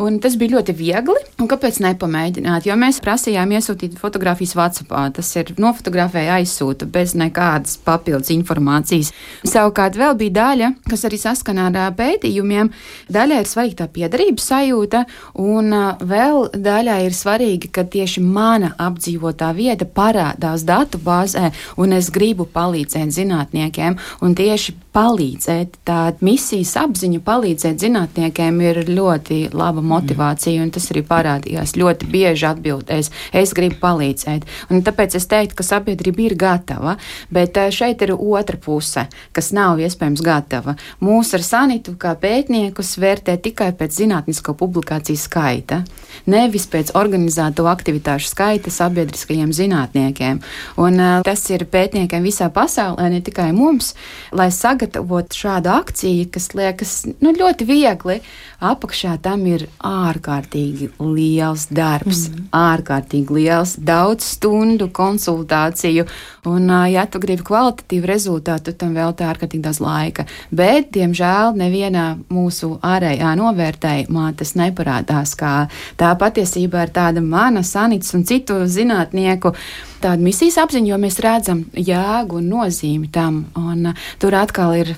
G: un tas bija ļoti viegli, un kāpēc nepamēģināt, jo mēs prasījām iesūtīt fotogrāfijas WhatsAppā, tas ir nofotografēja aizsūta bez nekādas papildus informācijas. Savukārt vēl bija daļa, kas arī saskanā ar pētījumiem, daļai ir svarīga tā piederības sajūta, un vēl daļai ir svarīgi, ka tieši mana apdzīvotā vieta parādās datu bāzē, un es gribu palīdzēt zinātniekiem, un tieši palīdzēt, tā misijas apziņa palīdzēt zinātniekiem ir ļoti laba motivācija, un tas arī parādījās ļoti bieži atbildēs, es gribu palīdzēt. Un tāpēc es teiktu, ka sabiedrība ir gatava, bet šeit ir otra puse, kas nav iespējams gatava. Mūs ar Sanitu kā pētniekus vērtē tikai pēc zinātnisko publikāciju skaita, nevis pēc organizēto aktivitāšu skaita sabiedriskajiem zinātniekiem. Un tas ir pētniekiem visā pasaulē, ne tikai mums, lai sagatavot šādu akciju, kas liekas ļoti viegli. Apakšā tam ir ārkārtīgi liels darbs, ārkārtīgi liels, daudz stundu konsultāciju, un ja tu gribi kvalitatīvu rezultātu, tu tam veltī ārkārtīgi daudz laika. Bet, diemžēl, nevienā mūsu ārējā novērtējumā tas neparādās, kā tā patiesībā ir tāda mana, Sanits un citu zinātnieku tāda misijas apziņa, jo mēs redzam jēgu un nozīmi tam, un tur atkal ir,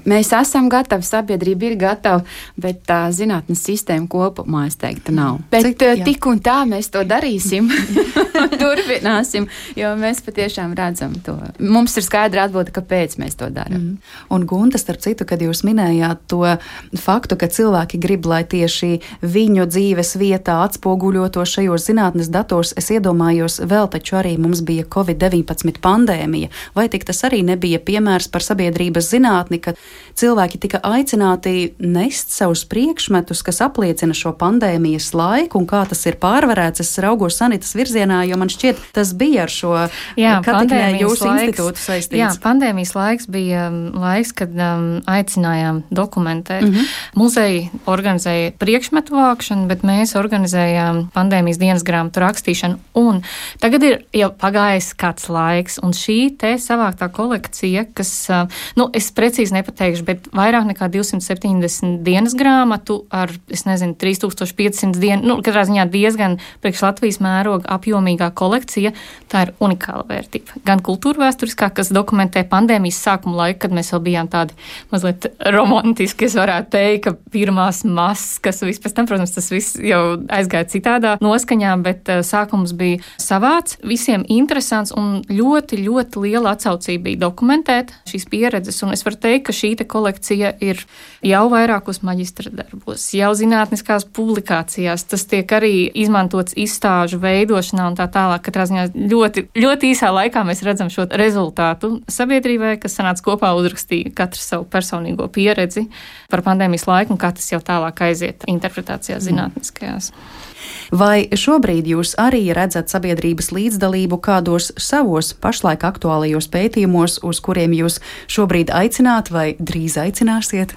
G: mēs esam gatavi, sabiedrība ir gatava, bet tā zinātnes sistēma kopumā, es teiktu, nav. Bet tik un tā mēs to darīsim, turpināsim, jo mēs patiešām redzam to. Mums ir skaidra atbilde, kāpēc mēs to darām.
B: Un Gunta, starp citu, kad jūs minējāt to faktu, ka cilvēki grib, lai tieši viņu dzīves vietā atspoguļoto šajos zinātnes datos, es iedomājos, vēl taču arī mums bija Covid-19 pandēmija, vai tik tas arī nebija piemērs par sabiedrības zinātni, ka cilvēki tika aicināti nest savus priekšmetus, kas apliecina šo pandēmijas laiku un kā tas ir pārvarēts. Es raugos Sanitas virzienā, jo man šķiet, tas bija ar šo jūsu institūtu saistīts.
F: Jā, pandēmijas laiks bija laiks, kad aicinājām dokumentēt. Muzeji organizēja priekšmetu vākšanu, bet mēs organizējām pandēmijas dienas grāmatu rakstīšanu, un tagad ir jau pagājis kāds laiks, un šī te savāktā kolekcija, kas, es precīzi nepateikšu, bet vairāk nekā 270 dienas grāmatu ar, 3500 dienu, katrā ziņā diezgan priekš Latvijas mēroga apjomīgā kolekcija, tā ir unikāla vērtība. Gan kultūrvēsturiskā, kas dokumentē pandēmijas sākuma laiku, kad mēs vēl bijām tādi mazliet romantiski, es varētu teikt, ka pirmās maskas, vispēc tam, protams, tas viss jau aizgāja citādā noskaņā, bet sākums bija savāds, visiem interesants un ļoti, ļoti liela atsaucība bija dokumentēt šīs pieredzes, un es varu teikt, ka šī te kolekcija ir jau vairākos maģistra darbos, jau zinātniskās publikācijās, tas tiek arī izmantots izstāžu veidošanā un tā tālāk. Katrā ziņā ļoti, ļoti īsā laikā mēs redzam šo rezultātu sabiedrībai, kas sanāca kopā uzrakstīja katru savu personīgo pieredzi par pandēmijas laiku un kā tas jau tālāk aiziet interpretācijās zinātniskajās.
B: Vai šobrīd jūs arī redzat sabiedrības līdzdalību kādos savos pašlaik aktuālajos pētījumos, uz kuriem jūs šobrīd aicināt vai drīz aicināsiet?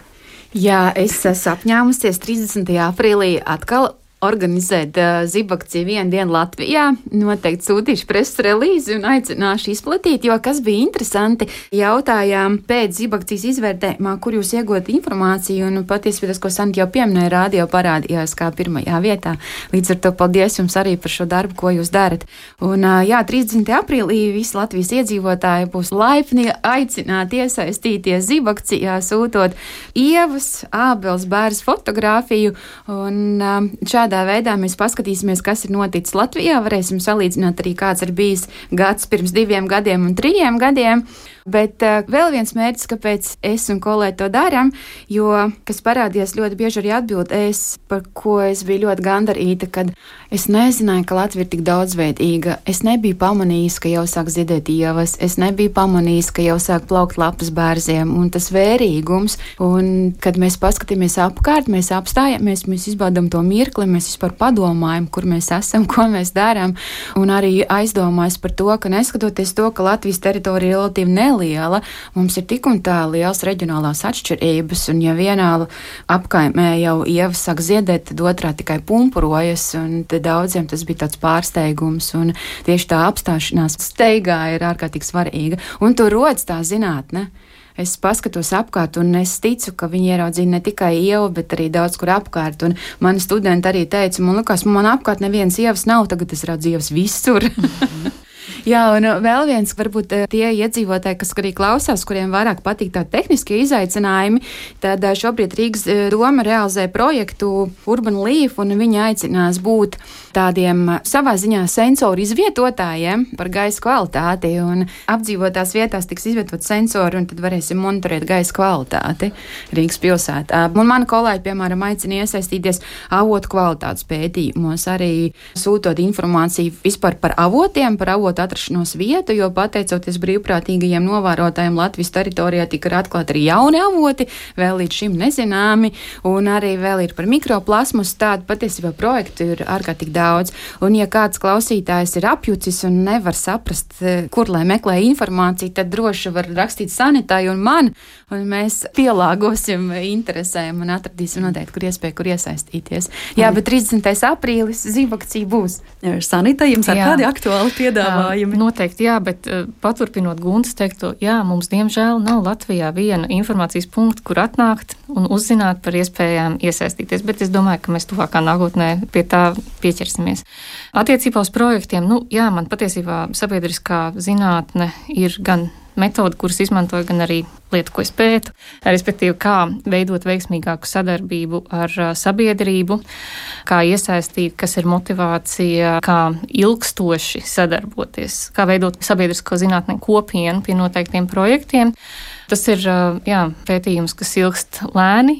G: Jā, es esmu apņēmusies 30. aprīlī atkal organizēt zibakciju vienu dienu Latvijā. Noteikti sūtīšu preses relīzi un aicināšu izplatīt, jo kas bija interesanti, jautājām pēc zibakcijas izvērtējumā, kur jūs iegūt informāciju, un patiesībā tas, ko Santi jau pieminēja, rādio parādījās kā pirmajā vietā. Līdz ar to paldies jums arī par šo darbu, ko jūs darat. Un 30. aprīlī visi Latvijas iedzīvotāji būs laipni aicināti iesaistīties zibakcijā, sūtot Ievas, Ābeles bērns fotogrāfiju, un šādā veidā mēs paskatīsimies, kas ir noticis Latvijā, varēsim salīdzināt arī, kāds ir bijis gads pirms 2 gadiem un 3 gadiem. Bet vēl viens mērķis, kāpēc es un kolēģi to darām, jo, kas parādījās ļoti bieži arī atbild, par ko es biju ļoti gandarīta, kad es nezināju, ka Latvija ir tik daudzveidīga. Es nebiju pamanījis, ka jau sāk ziedēt ievas, es nebiju pamanījis, ka jau sāk plaukt lapas bērziem, un tas vērīgums, un kad mēs paskatāmies apkārt, mēs apstājamies, mēs izbaudam to mirkli, mēs vispār padomājam, kur mēs esam, ko mēs darām, un arī aizdomājas par to, ka neskatoties to, ka Latvijas teritorija relatīvi neliela, mums ir tik un tā liels reģionālās atšķirības, un ja vienā apkaimē jau ievas sāk ziedēt, tad otrā tikai pumpurojas, un tad daudziem tas bija tāds pārsteigums, un tieši tā apstāšanās steigā ir ārkārtīgi svarīga, un tur rodas tā zinātne. Es paskatos apkārt, un es ticu, ka viņi ieraudzīja ne tikai ievu, bet arī daudz kur apkārt, un mani studenti arī teica, man apkārt nevienas ievas nav, tagad es redzu ievas visur. Jā, un vēl viens, varbūt tie iedzīvotāji, kas arī klausās, kuriem vairāk patīk tādi tehniskie izaicinājumi, tad šobrīd Rīgas doma realizē projektu Urban Leaf, un viņi aicinās būt tādiem savā ziņā sensoru izvietotājiem par gaisa kvalitāti, un apdzīvotās vietās tiks izvietot sensori, un tad varēsim monitorēt gaisa kvalitāti Rīgas pilsētā. Un mani kolēģi, piemēram, aicina iesaistīties avotu kvalitātes pētījumos, arī sūtot informāciju vispār par avotiem, par avotu atrašanos vietu, jo pateicoties brīvprātīgajiem novērotājiem Latvijas teritorijā tika atklāti arī jauni avoti, vēl līdz šim nezināmi, un arī vēl ir par mikroplasmas, tādu patiesībā projektu ir ārkārtīgi daudz. Un ja kāds klausītājs ir apjucis un nevar saprast, kur lai meklē informāciju, tad droši var rakstīt Sanitai un man, un mēs pielāgosim interesēm un atradīsim noteikti, kur iespēja, kur iesaistīties. Jā, bet 30. aprīlis zibakcija būs.
B: Sanita, jums ir kādi aktuāli piedāvājumi?
F: Noteikti, jā, bet paturpinot Guntas teikto, jā, mums diemžēl nav Latvijā viena informācijas punkta, kur atnākt un uzzināt par iespējām iesaistīties, bet es domāju, ka mēs tuvākā nākotnē pie tā pieķersimies. Attiecībā uz projektiem, jā, man patiesībā sabiedriskā zinātne ir gan metodi, kuras izmantoju, gan arī lietu, ko es pētu, respektīvi, kā veidot veiksmīgāku sadarbību ar sabiedrību, kā iesaistīt, kas ir motivācija, kā ilgstoši sadarboties, kā veidot sabiedrisko zinātni kopienu pie noteiktiem projektiem. Tas ir pētījums, kas ilgst lēni,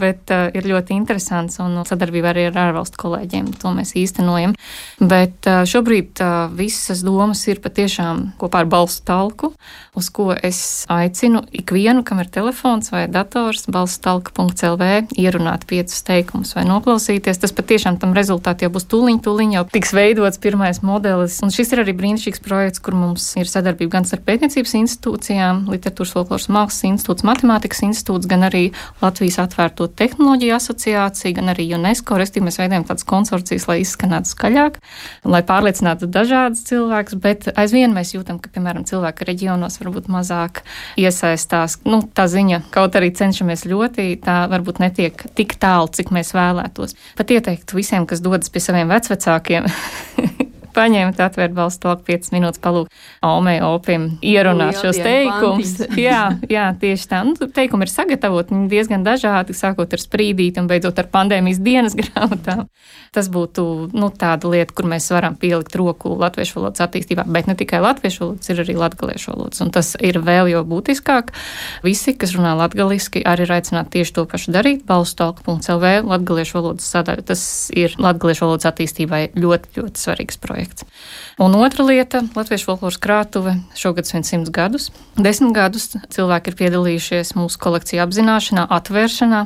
F: bet ir ļoti interesants un sadarbība arī ar ārvalstu kolēģiem. To mēs īstenojam. Bet šobrīd visas domas ir patiešām kopā ar balstu talku, uz ko es aicinu ikvienu, kam ir telefons vai dators, balstutalka.lv, ierunāt 5 teikumus vai noklausīties. Tas patiešām tam rezultāti jau būs tūliņ jau tiks veidots pirmais modelis. Un šis ir arī brīnišķīgs projekts, kur mums ir sadarbība gan ar pētniecības institūcijām, literatūras folkloras mākslas institūts, matemātikas institūts, gan arī Latvijas atvērto tehnoloģiju asociācija, gan arī UNESCO. Restīvi mēs veidojam tādas konsorcijas, lai izskanētu skaļāk, lai pārliecinātu dažādas cilvēkus, bet aizvien mēs jūtam, ka, piemēram, cilvēki reģionos varbūt mazāk iesaistās. Tā ziņa, kaut arī cenšamies ļoti, tā varbūt netiek tik tālu, cik mēs vēlētos. Pat ieteiktu visiem, kas dodas pie saviem vecvecākiem, paņemt, atvērt balstu talku 5 minūtes, palūgt Omei Opim ierunāt šos teikumus. Jā, tieši tā. Teikumi ir sagatavoti, viņi diezgan dažādi, sākot ar sprīdīti un beidzot ar pandēmijas dienas grāmatām. Tas būtu tāda lieta, kur mēs varam pielikt roku latviešu valodas attīstībā, bet ne tikai latviešu valodas, ir arī latgaliešu valodas. Un tas ir vēl jau būtiskāk. Visi, kas runā latgaliski, arī ir aicināti tieši to pašu darīt. balstutalka.lv, latgaliešu valodas sadaļa. Tas ir latgaliešu valodas attīstībai ļoti, ļoti svarīgs projekts. Un otra lieta - Latviešu folkloras krātuve šogad svin 100 gadus. 10 gadus cilvēki ir piedalījušies mūsu kolekciju apzināšanā, atvēršanā,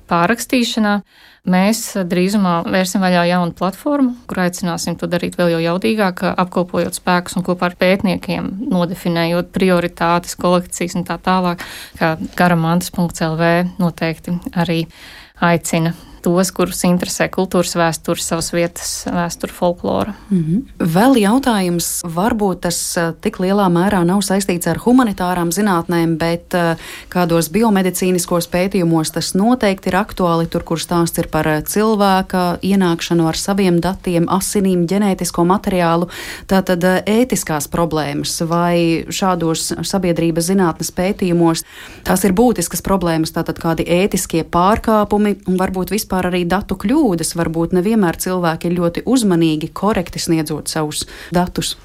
F: pārrakstīšanā. Mēs drīzumā vērsim vaļā jaunu platformu, kur aicināsim to darīt vēl jau jaudīgāk, apkopojot spēkus un kopā ar pētniekiem, nodefinējot prioritātes, kolekcijas un tā tālāk, kā garamantas.lv noteikti arī aicina tos, kurus interesē kultūras vēsture, savas vietas vēsture, folklora.
B: Vēl jautājums, varbūt tas tik lielā mērā nav saistīts ar humanitārām zinātnēm, bet kādos biomedicīniskos pētījumos tas noteikti ir aktuāli, tur, kur stāsts ir par cilvēka ienākšanu ar saviem datiem, asinīm, ģenētisko materiālu. Tātad ētiskās problēmas vai šādos sabiedrības zinātnes pētījumos tās ir būtiskas problēmas, tātad kādi ētiskie pārkāpumi un varbūt vispār arī datu kļūdas, varbūt nevienmēr cilvēki ir ļoti uzmanīgi, korekti sniedzot savus datus.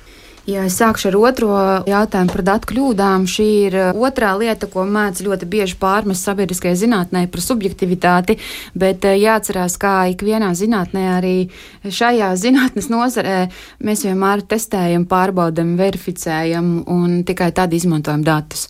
G: Ja es sākšu ar otro jautājumu par datu kļūdām, šī ir otrā lieta, ko mēdz ļoti bieži pārmest sabiedriskajai zinātnē par subjektivitāti, bet jāatcerās, kā ikvienā zinātnē, arī šajā zinātnes nozarē mēs vienmēr testējam, pārbaudam, verificējam un tikai tad izmantojam datus.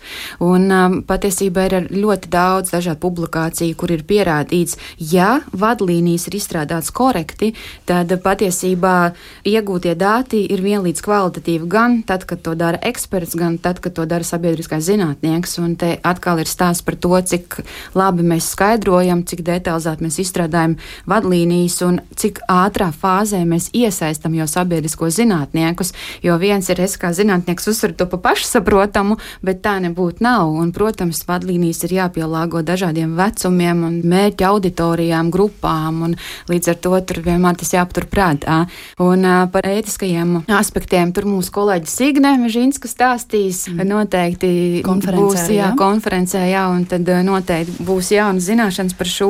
G: Un patiesībā ir ļoti daudz dažādu publikāciju, kur ir pierādīts, ja vadlīnijas ir izstrādātas korekti, tad patiesībā iegūtie dati ir vienlīdz kvalitatīvi gan tad, kad to dara eksperts, gan tad, kad to dara sabiedriskais zinātnieks. Un te atkal ir stāsts par to, cik labi mēs skaidrojam, cik detalizēti mēs izstrādājam vadlīnijas un cik ātrā fāzē mēs iesaistam jau sabiedrisko zinātniekus, jo viens ir es kā zinātnieks uzsver to pa pašsaprotamu, bet tā nebūtu nav. Un, protams, vadlīnijas ir jāpielāgo dažādiem vecumiem un mērķa auditorijām, grupām, un līdz ar to tur vienmēr tas jāpatur prātā. Un par ētiskajiem aspektiem tur mūsu kolēģi Signe Mežinska stāstīs. Noteikti konferencē, un tad noteikti būs jaunas zināšanas par šo,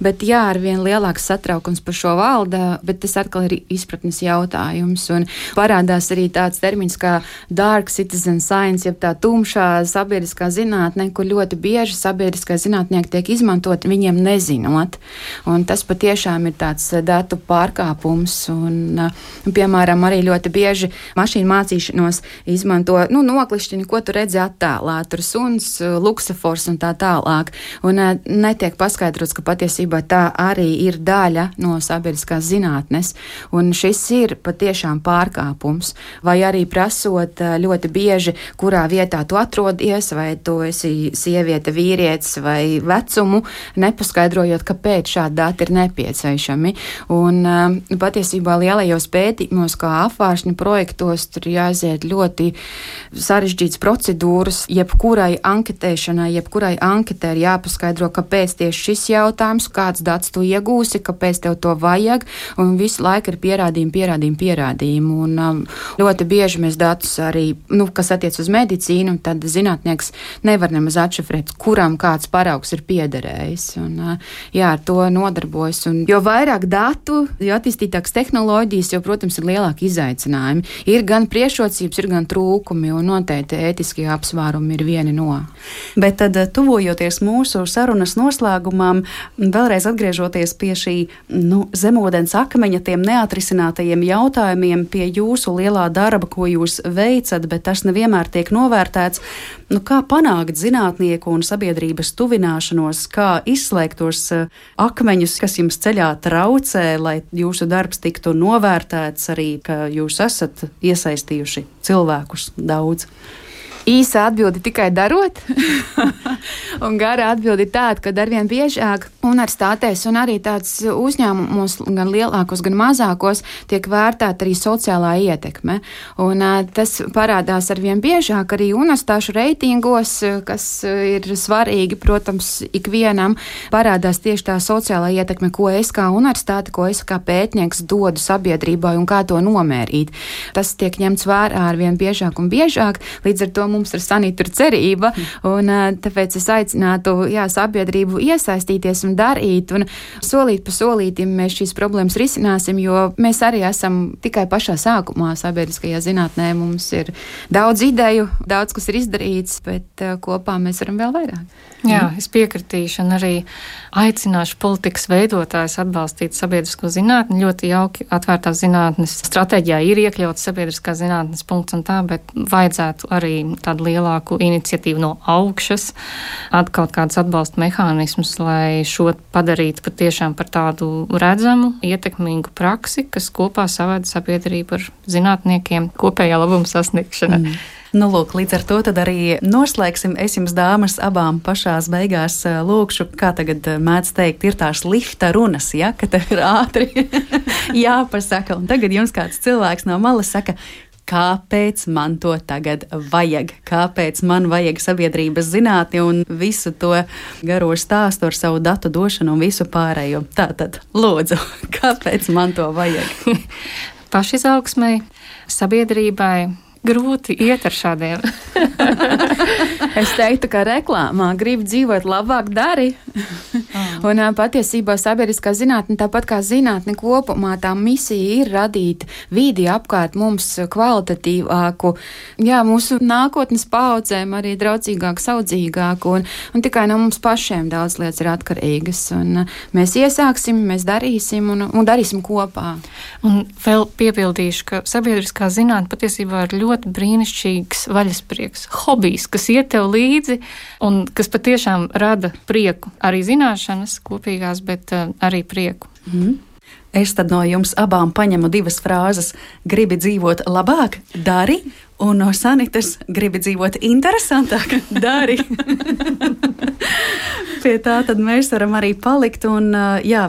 G: bet ar vien lielāks satraukums par šo valda, bet tas atkal ir izpratnes jautājums. Un parādās arī tāds termins kā dark citizen science, jeb tā tumšā sabiedriskā zinātne, kur ļoti bieži sabiedriskai zinātnieki tiek izmantot viņiem nezinot. Un tas patiešām ir tāds datu pārkāpums. Un, piemēram, arī ļoti bieži mašīnu mācīšanos izmanto noklišķini, ko tu redzi attēlā, tur suns, luksafors un tā tālāk. Un netiek paskaidrots, ka patiesībā tā arī ir daļa no sabiedriskās zinātnes. Un šis ir patiešām pārkāpums. Vai arī prasot ļoti bieži, kurā vietā tu atrodies, vai tu esi sieviete, vīrietis vai vecumu, nepaskaidrojot, kāpēc šādi dati ir nepieciešami. Un patiesībā lielajos pētījumos, kā apvāršņu projektos, tur jāiziet ļoti sarežģītas procedūras, jebkurai anketēšanai, jebkurai anketē ir jāpaskaidro, kāpēc tieši šis jautājums, kāds dats tu iegūsi, kāpēc tev to vajag, un visu laiku ir pierādījumi. Un ļoti bieži mēs datus arī, kas attiec uz medicīnu, tad zinātnieks nevar nemaz atšifrēt, kuram kāds paraugs ir piederējis. Un, ar to nodarbojas. Un jo vairāk datu, jo attīstītākas tehnoloģijas, jo, protams, ir lielāki izaicinājumi. Ir gan priekšrocības, ir gan trūkumi, un noteikti ētiskie apsvērumi ir vieni no.
B: Bet tad, tuvojoties mūsu sarunas noslēgumam, vēlreiz atgriežoties pie šī zemūdens akmeņa, tiem neatrisinātajiem jautājumiem, pie jūsu lielā darba, ko jūs veicat, bet tas nevienmēr tiek novērtēts. Kā panākt zinātnieku un sabiedrības tuvināšanos, kā izslēgt tos akmeņus, kas jums ceļā traucē, lai jūsu darbs tiktu novērtēts, arī, ka jūs esat iesaistījuši cilvēkus daudz?
G: Īsa atbilde tikai darot, un gara atbilde ir tāda, ka arvien biežāk universitātēs un arī tāds uzņēmumos, gan lielākos, gan mazākos, tiek vērtēta arī sociālā ietekme. Un tas parādās arvien biežāk arī universitāšu reitingos, kas ir svarīgi, protams, ikvienam parādās tieši tā sociālā ietekme, ko es kā universitāte, ko es kā pētnieks dodu sabiedrībai un kā to nomērīt. Tas tiek ņemts vērā arvien biežāk un biežāk, līdz ar to mums ar Sanītu ir cerība, un tāpēc es aicinātu sabiedrību iesaistīties un darīt, un solīt pa solītim mēs šīs problēmas risināsim, jo mēs arī esam tikai pašā sākumā sabiedriskajā zinātnē. Mums ir daudz ideju, daudz kas ir izdarīts, bet kopā mēs varam vēl vairāk.
F: Jā, es piekritīšu un arī aicināšu politikas veidotājus atbalstīt sabiedrisko zinātni. Ļoti jauki atvērtās zinātnes stratēģijā ir iekļauts sabiedriskā zinātnes punkts un tā, bet vajadzētu arī tādu lielāku iniciatīvu no augšas, kaut kādus atbalsta mehānismus, lai šo padarītu patiešām par tādu redzamu, ietekmīgu praksi, kas kopā savāda sabiedrību ar zinātniekiem kopējā labuma sasniegšanā.
B: Nu, lūk, līdz ar to tad arī noslēgsim. Es jums, dāmas, abām pašās beigās lūkšu, kā tagad mēdz teikt, ir tās lifta runas, ja, ka tev ir ātri jāpasaka. Un tagad jums kāds cilvēks no malas saka, kāpēc man to tagad vajag? Kāpēc man vajag sabiedrības zinātni un visu to garo stāstu ar savu datu došanu un visu pārējo? Tātad, lūdzu, kāpēc man to vajag?
F: Pašizaugsmai, sabiedrībai grūti iet ar šādiem.
G: Es teiktu, ka reklāmā grib dzīvot labāk, dari. Un patiesībā sabiedriskā zinātne, tāpat kā zinātne kopumā, tā misija ir radīt vidi apkārt mums kvalitatīvāku, mūsu nākotnes paudzēm arī draudzīgāku, saudzīgāku, un tikai no mums pašiem daudz lietas ir atkarīgas. Un mēs iesāksim, mēs darīsim un darīsim kopā.
F: Un vēl piebildīšu, ka sabiedriskā zinātne patiesībā ir ļoti brīnišķīgs vaļasprieks, hobijs, kas iet tev līdzi un kas patiešām rada prieku. Arī zināšanas kopīgās, bet arī prieku.
B: Es tad no jums abām paņemu divas frāzes. Gribi dzīvot labāk? Dari. Un no Sanitas gribi dzīvot interesantāk? Dari. Pie tā tad mēs varam arī palikt. Un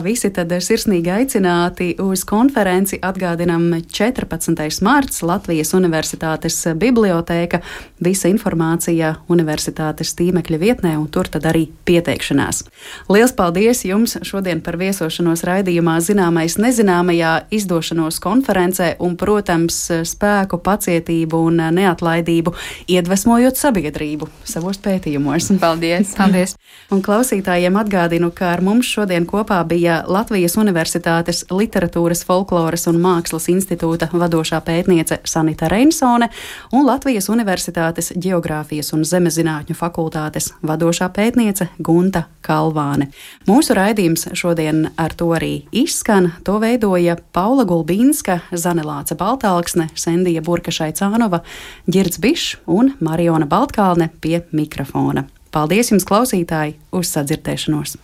B: visi tad sirsnīgi aicināti uz konferenci. Atgādinam 14. marts Latvijas Universitātes bibliotēka. Visa informācija universitātes tīmekļa vietnē, un tur tad arī pieteikšanās. Liels paldies jums šodien par viesošanos raidījumā Zināmais nezināmajā, izdošanos konferencē un, protams, spēku, pacietību un neatlaidību, iedvesmojot sabiedrību savos pētījumos.
G: Paldies!
F: Paldies!
B: Un klausītājiem atgādinu, ka ar mums šodien kopā bija Latvijas Universitātes Literatūras, folkloras un mākslas institūta vadošā pētniece Sanita Reinsone un Latvijas Universitātes Ģeogrāfijas un zemezinātņu fakultātes vadošā pētniece Gunta Kalvāne. Mūsu raidījums šodien ar to arī izskan. To veidoja Paula Gulbīnska, Zane Lāce Baltāksne, Sendija Burka-Šaicānova, Ģirds Bišs un Mariona Baltkalne pie mikrofona. Paldies jums, klausītāji, uz sadzirdēšanos!